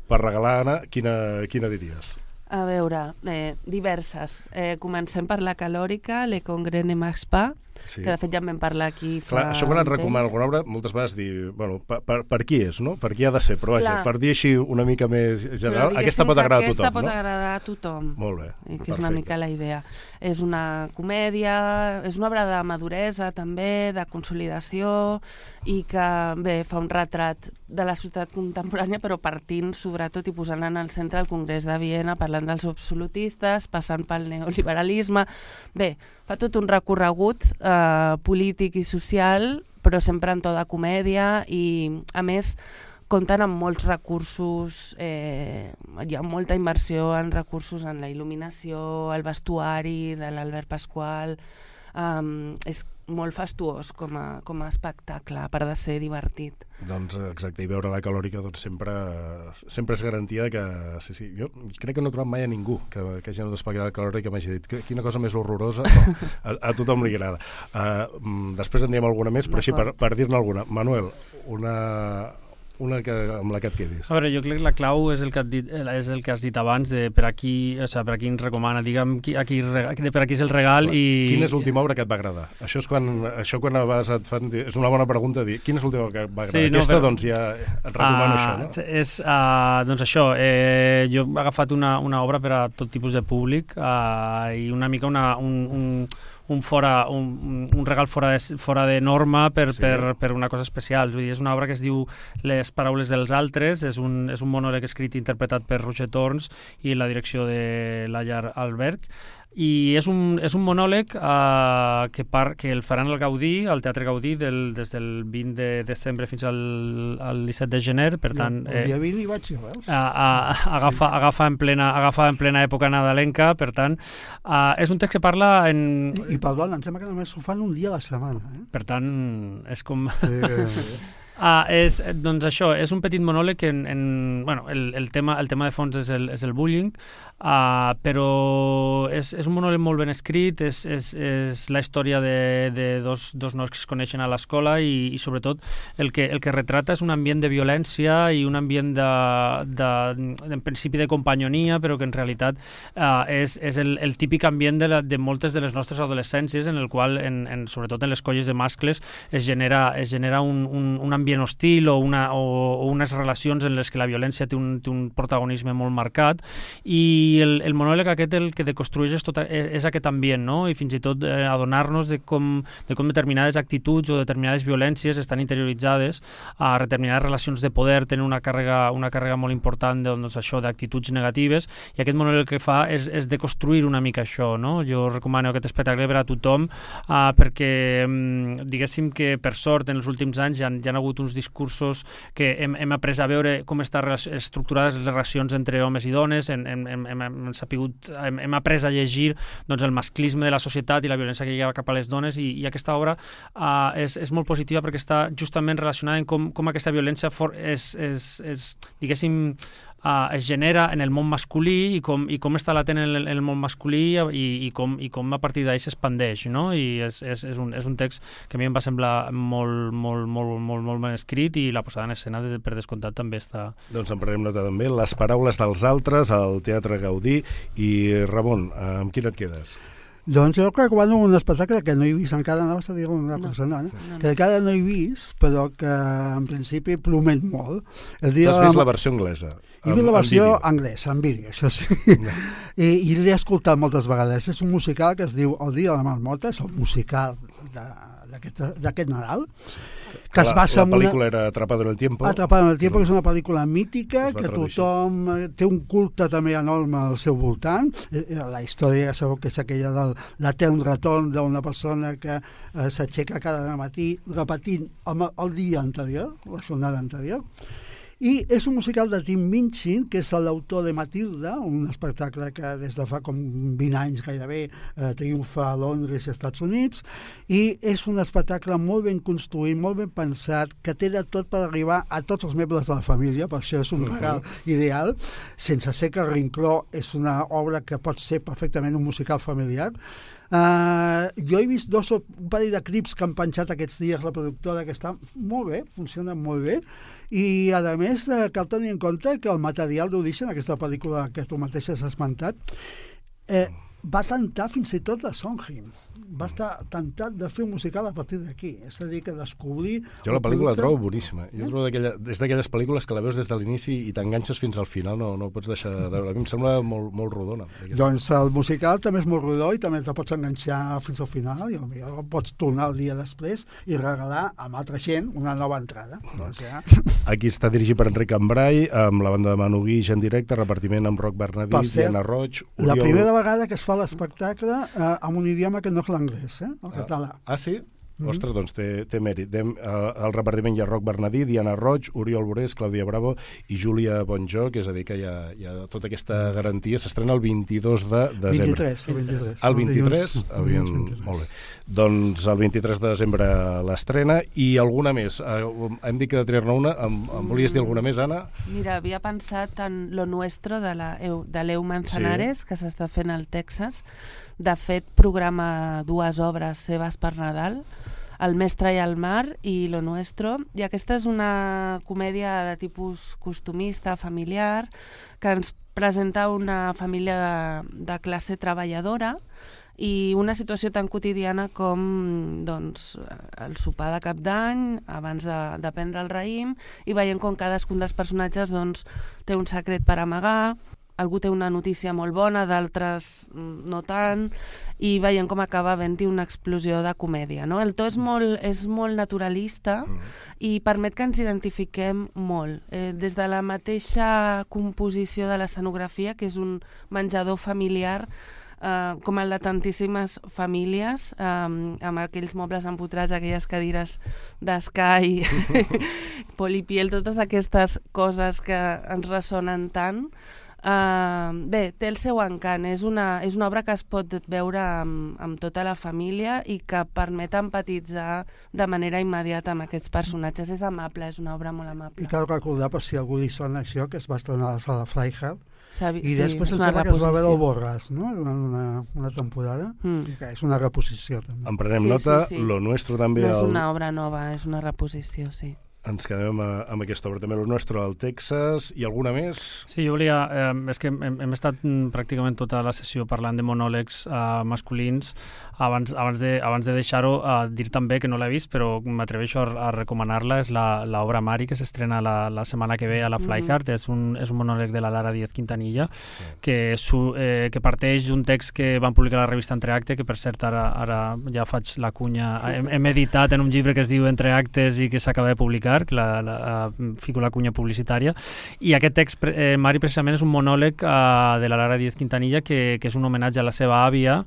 Speaker 2: per regalar, Anna, quina, quina diries?
Speaker 5: A veure, eh, diverses. Eh, comencem per la calòrica, Le Congrès de Max Pa, sí. que de fet ja en vam parlar aquí fa...
Speaker 2: Clar, això quan et recomana alguna obra, moltes vegades dir, bueno, per, per, per qui és, no? Per qui ha de ser, però vaja, Clar. per dir així una mica més general, aquesta pot agradar a tothom,
Speaker 5: aquesta pot
Speaker 2: no?
Speaker 5: agradar a tothom.
Speaker 2: Molt bé,
Speaker 5: I que
Speaker 2: perfecte.
Speaker 5: és una mica la idea. És una comèdia, és una obra de maduresa també, de consolidació, i que, bé, fa un retrat de la societat contemporània, però partint, sobretot, i posant en el centre el Congrés de Viena, parlant dels absolutistes, passant pel neoliberalisme. Bé, fa tot un recorregut eh, polític i social, però sempre en to de comèdia, i, a més, compten amb molts recursos, eh, hi ha molta inversió en recursos en la il·luminació, el vestuari de l'Albert Pasqual. Um, és molt fastuós com a, com a espectacle, a part de ser divertit.
Speaker 2: Doncs exacte, i veure la calòrica doncs sempre, sempre és garantia que... Sí, sí, jo crec que no he trobat mai a ningú que, que hagi anat a espectacle de calòrica que m'hagi dit que, quina cosa més horrorosa. No, a, a tothom li agrada. Uh, després en diem alguna més, però així per, per dir-ne alguna. Manuel, una... una que, amb la que et quedis.
Speaker 4: A veure, jo crec que la clau és el que, dit, és el que has dit abans, de per a qui, o sigui, per a qui ens recomana, digue'm, qui, a qui, de per a qui és el regal. Clar, i...
Speaker 2: Quina és l'última obra que et va agradar? Això és quan, això quan a vegades et fan... És una bona pregunta dir, quina és l'última obra que et va agradar? Sí, no, Aquesta, però... doncs ja et recomano uh, això, no?
Speaker 4: És, uh, doncs això, eh, jo he agafat una, una obra per a tot tipus de públic uh, i una mica una, un... un un, fora, un, un regal fora de, fora de norma per, sí. per, per una cosa especial. Vull dir, és una obra que es diu Les paraules dels altres, és un, és un monòleg escrit i interpretat per Roger Torns i la direcció de Layar Alberg. I és un, és un monòleg uh, que, par, que el faran al Gaudí, al Teatre Gaudí, del, des del vint de desembre fins al, al disset de gener, per tant...
Speaker 3: El dia vint hi vaig jo, veus?
Speaker 4: Uh, uh, agafa, sí. agafa, en plena, agafa en plena època nadalenca, per tant, uh, és un text que parla en...
Speaker 3: I, i perdona, em sembla que només ho fan un dia a la setmana, eh?
Speaker 4: Per tant, és com...
Speaker 3: Sí.
Speaker 4: Ah, és, doncs això, és un petit monòleg en, en bueno, el, el, tema, el tema de fons és el, és el bullying, uh, però és, és un monòleg molt ben escrit, és, és, és la història de, de dos, dos nois que es coneixen a l'escola i, i sobretot el que, el que retrata és un ambient de violència i un ambient de, de, de en principi de companyonia, però que en realitat uh, és, és el, el típic ambient de, la, de moltes de les nostres adolescències, en el qual, en, en, sobretot en les colles de mascles, es genera, es genera un, un, un ambient ambient hostil o, una, o, o unes relacions en les que la violència té un, té un protagonisme molt marcat, i el, el monòleg aquest el que deconstrueix és, tot, és aquest ambient, no? I fins i tot eh, adonar-nos de com, de com determinades actituds o determinades violències estan interioritzades a determinades relacions de poder, tenen una càrrega, una càrrega molt important de, doncs, això d'actituds negatives, i aquest monòleg el que fa és, és deconstruir una mica això, no? Jo recomano aquest espectacle per a tothom uh, perquè diguéssim que per sort en els últims anys ja, ja han hagut uns discursos que hem, hem après a veure com estan estructurades les relacions entre homes i dones, hem, hem, hem, hem, sapigut, hem, hem après a llegir doncs, el masclisme de la societat i la violència que hi ha cap a les dones, i, i aquesta obra uh, és, és molt positiva perquè està justament relacionada amb com, com aquesta violència for, és, és, és, diguéssim, Uh, es genera en el món masculí i com, i com està latent en el, en el món masculí i, i, com, i com a partir d'ahí s'expandeix, no? I és, és, és, un, és un text que a mi em va semblar molt, molt, molt, molt, molt ben escrit, i la posada en escena de, per descomptat també està...
Speaker 2: Doncs en prenem nota també. Les paraules dels altres al Teatre Gaudí. I Ramon, amb quin et quedes?
Speaker 3: Doncs jo recomano un espectacle que no he vist encara, no vas a dir una persona, no, no, no. que encara no he vist, però que en principi promet molt. El dia
Speaker 2: tu has vist la versió anglesa?
Speaker 3: He vist la versió anglesa, en vídeo, això sí. No. I, i l'he escoltat moltes vegades. És un musical que es diu El dia de la marmota, és el musical d'aquest Nadal, que es basa
Speaker 2: en una... La pel·lícula era Atrapado en el tiempo.
Speaker 3: Atrapado en el tiempo, que és una pel·lícula mítica, que tothom té un culte també enorme al seu voltant. La història, ja sabeu que és aquella del l'etern retorn d'una persona que eh, s'aixeca cada matí repetint el, el dia anterior, la jornada anterior. I és un musical de Tim Minchin, que és l'autor de Matilda, un espectacle que des de fa com vint anys gairebé eh, triomfa a Londres i als Estats Units, i és un espectacle molt ben construït, molt ben pensat, que té de tot per arribar a tots els membres de la família, per això és un regal uh-huh. ideal, sense ser que Rincló és una obra que pot ser perfectament un musical familiar. Uh, jo he vist dos, un parell de clips que han penjat aquests dies la productora, que està molt bé, funciona molt bé, i a més uh, cal tenir en compte que el material d'origen, aquesta pel·lícula que tu mateix has esmentat, eh, va tentar fins i tot a Sondheim. Va estar tentat de fer un musical a partir d'aquí. És a dir, que descobrir...
Speaker 2: Jo la pel·lícula la trobo boníssima. Jo trobo és d'aquelles pel·lícules que la veus des de l'inici i t'enganxes fins al final, no, no ho pots deixar de veure. A mi em sembla molt, molt rodona.
Speaker 3: Doncs el musical també és molt rodó i també te pots enganxar fins al final i potser pots tornar el dia després i regalar amb altra gent una nova entrada. Doncs ja...
Speaker 2: Aquí està dirigit per Enric Cambrai, amb la banda de Manu Guix en directe, repartiment amb Roc Bernadí, Diana Roig... Oriol...
Speaker 3: La primera vegada que es fa l'espectacle eh, amb un idioma que no és l'anglès, eh? El català.
Speaker 2: Ah, ah sí? Mm-hmm. Ostres, doncs té, té mèrit. Dem, uh, el repartiment hi ha Roc Bernadí, Diana Roig, Oriol Borés, Clàudia Bravo i Júlia Bonjoc, és a dir, que hi ha, hi ha tota aquesta garantia. S'estrena el vint-i-dos de desembre.
Speaker 3: vint-i-tres, el vint-i-tres.
Speaker 2: El vint-i-tres? El vint-i-tres. Molt bé. Doncs el vint-i-tres de desembre l'estrena i alguna més. Uh, hem dit que de triar-ne una. Em, em volies dir alguna més, Anna?
Speaker 5: Mira, havia pensat en Lo Nuestro de l'Eu Manzanares, sí. que s'està fent al Texas. De fet, programa dues obres seves per Nadal, El mestre i el mar i Lo Nuestro, i aquesta és una comèdia de tipus costumista, familiar, que ens presenta una família de, de classe treballadora i una situació tan quotidiana com doncs, el sopar de cap d'any, abans de, de prendre el raïm, i veiem com cadascun dels personatges doncs, té un secret per amagar, algú té una notícia molt bona, d'altres no tant, i veiem com acaba havent-hi una explosió de comèdia. No? El to és molt, és molt naturalista i permet que ens identifiquem molt. Eh, des de la mateixa composició de l'escenografia, que és un menjador familiar, Uh, com el de tantíssimes famílies, um, amb aquells mobles empotrats, aquelles cadires d'escai, polipiel, totes aquestes coses que ens ressonen tant. Uh, bé, té el seu encant, és una, és una obra que es pot veure amb, amb tota la família i que permet empatitzar de manera immediata amb aquests personatges. És amable, és una obra molt amable.
Speaker 3: I cal recordar, per si algú li sona això, que es va estrenar a la sala Freiheit,
Speaker 5: Sabi,
Speaker 3: i després
Speaker 5: sí,
Speaker 3: em sembla que es va veure el Borràs, no? Una, una temporada. Mm. Sí, que és una reposició, també.
Speaker 2: En prenem
Speaker 5: sí,
Speaker 2: nota,
Speaker 5: sí, sí.
Speaker 2: Lo Nuestro també...
Speaker 5: No és
Speaker 2: el...
Speaker 5: una obra nova, és una reposició, sí.
Speaker 2: Ens quedem amb aquesta obra també, Lo Nuestro al Texas, i alguna més?
Speaker 4: Sí, jo volia... Eh, és que hem, hem estat pràcticament tota la sessió parlant de monòlegs eh, masculins. Abans, abans de, abans de deixar-ho, eh, dir també que no l'he vist, però m'atreveixo a, a recomanar-la, és l'obra Mari, que s'estrena la, la setmana que ve a la Flyhard. Mm-hmm. És, un, és un monòleg de la Lara Díaz Quintanilla, sí. que, su, eh, que parteix d'un text que van publicar a la revista Entreacte, que per cert ara, ara ja faig la cunya, hem, hem editat en un llibre que es diu Entreactes i que s'acaba de publicar, que la, la, la, fico la cunya publicitària, i aquest text, eh, Mari, precisament és un monòleg eh, de la Lara Díaz Quintanilla que, que és un homenatge a la seva àvia,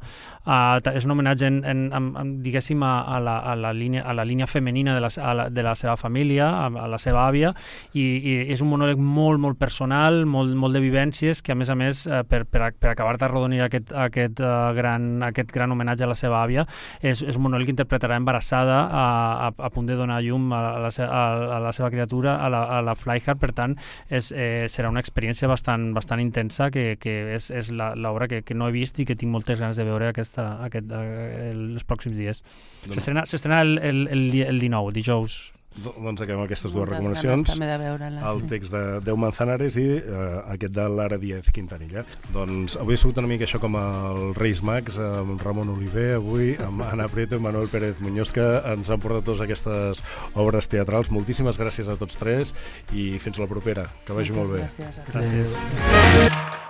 Speaker 4: eh, és un homenatge en, en, en, en, diguéssim a, a, la, a, la línia, a la línia femenina de la, a la, de la seva família, a, a la seva àvia, i, i és un monòleg molt, molt personal, molt, molt de vivències, que a més a més, eh, per, per, per acabar d'arrodonir aquest, aquest, uh, gran, aquest gran homenatge a la seva àvia, és, és un monòleg que interpretarà embarassada a, a, a punt de donar llum a la, a, a la seva criatura a la, a la Flyhard. Per tant, és, eh, serà una experiència bastant, bastant intensa, que, que és, és l'obra que, que no he vist i que tinc moltes ganes de veure aquesta, aquest, eh, els pròxims dies. S'estrena el, el, el, el dinou, dijous.
Speaker 2: Doncs acabem aquestes dues
Speaker 5: Moltes
Speaker 2: recomanacions, el
Speaker 5: sí.
Speaker 2: text de Deu Manzanares i uh, aquest de Lara Díaz Quintanilla. Doncs avui ha sigut una mica això com el Reis Mags, amb Ramon Oliver, avui amb Anna Prieto i Manuel Pérez Muñoz, que ens han portat totes aquestes obres teatrals. Moltíssimes gràcies a tots tres i fins la propera. Que vagi
Speaker 5: Moltes
Speaker 2: molt bé.
Speaker 5: Gràcies.
Speaker 4: Gràcies.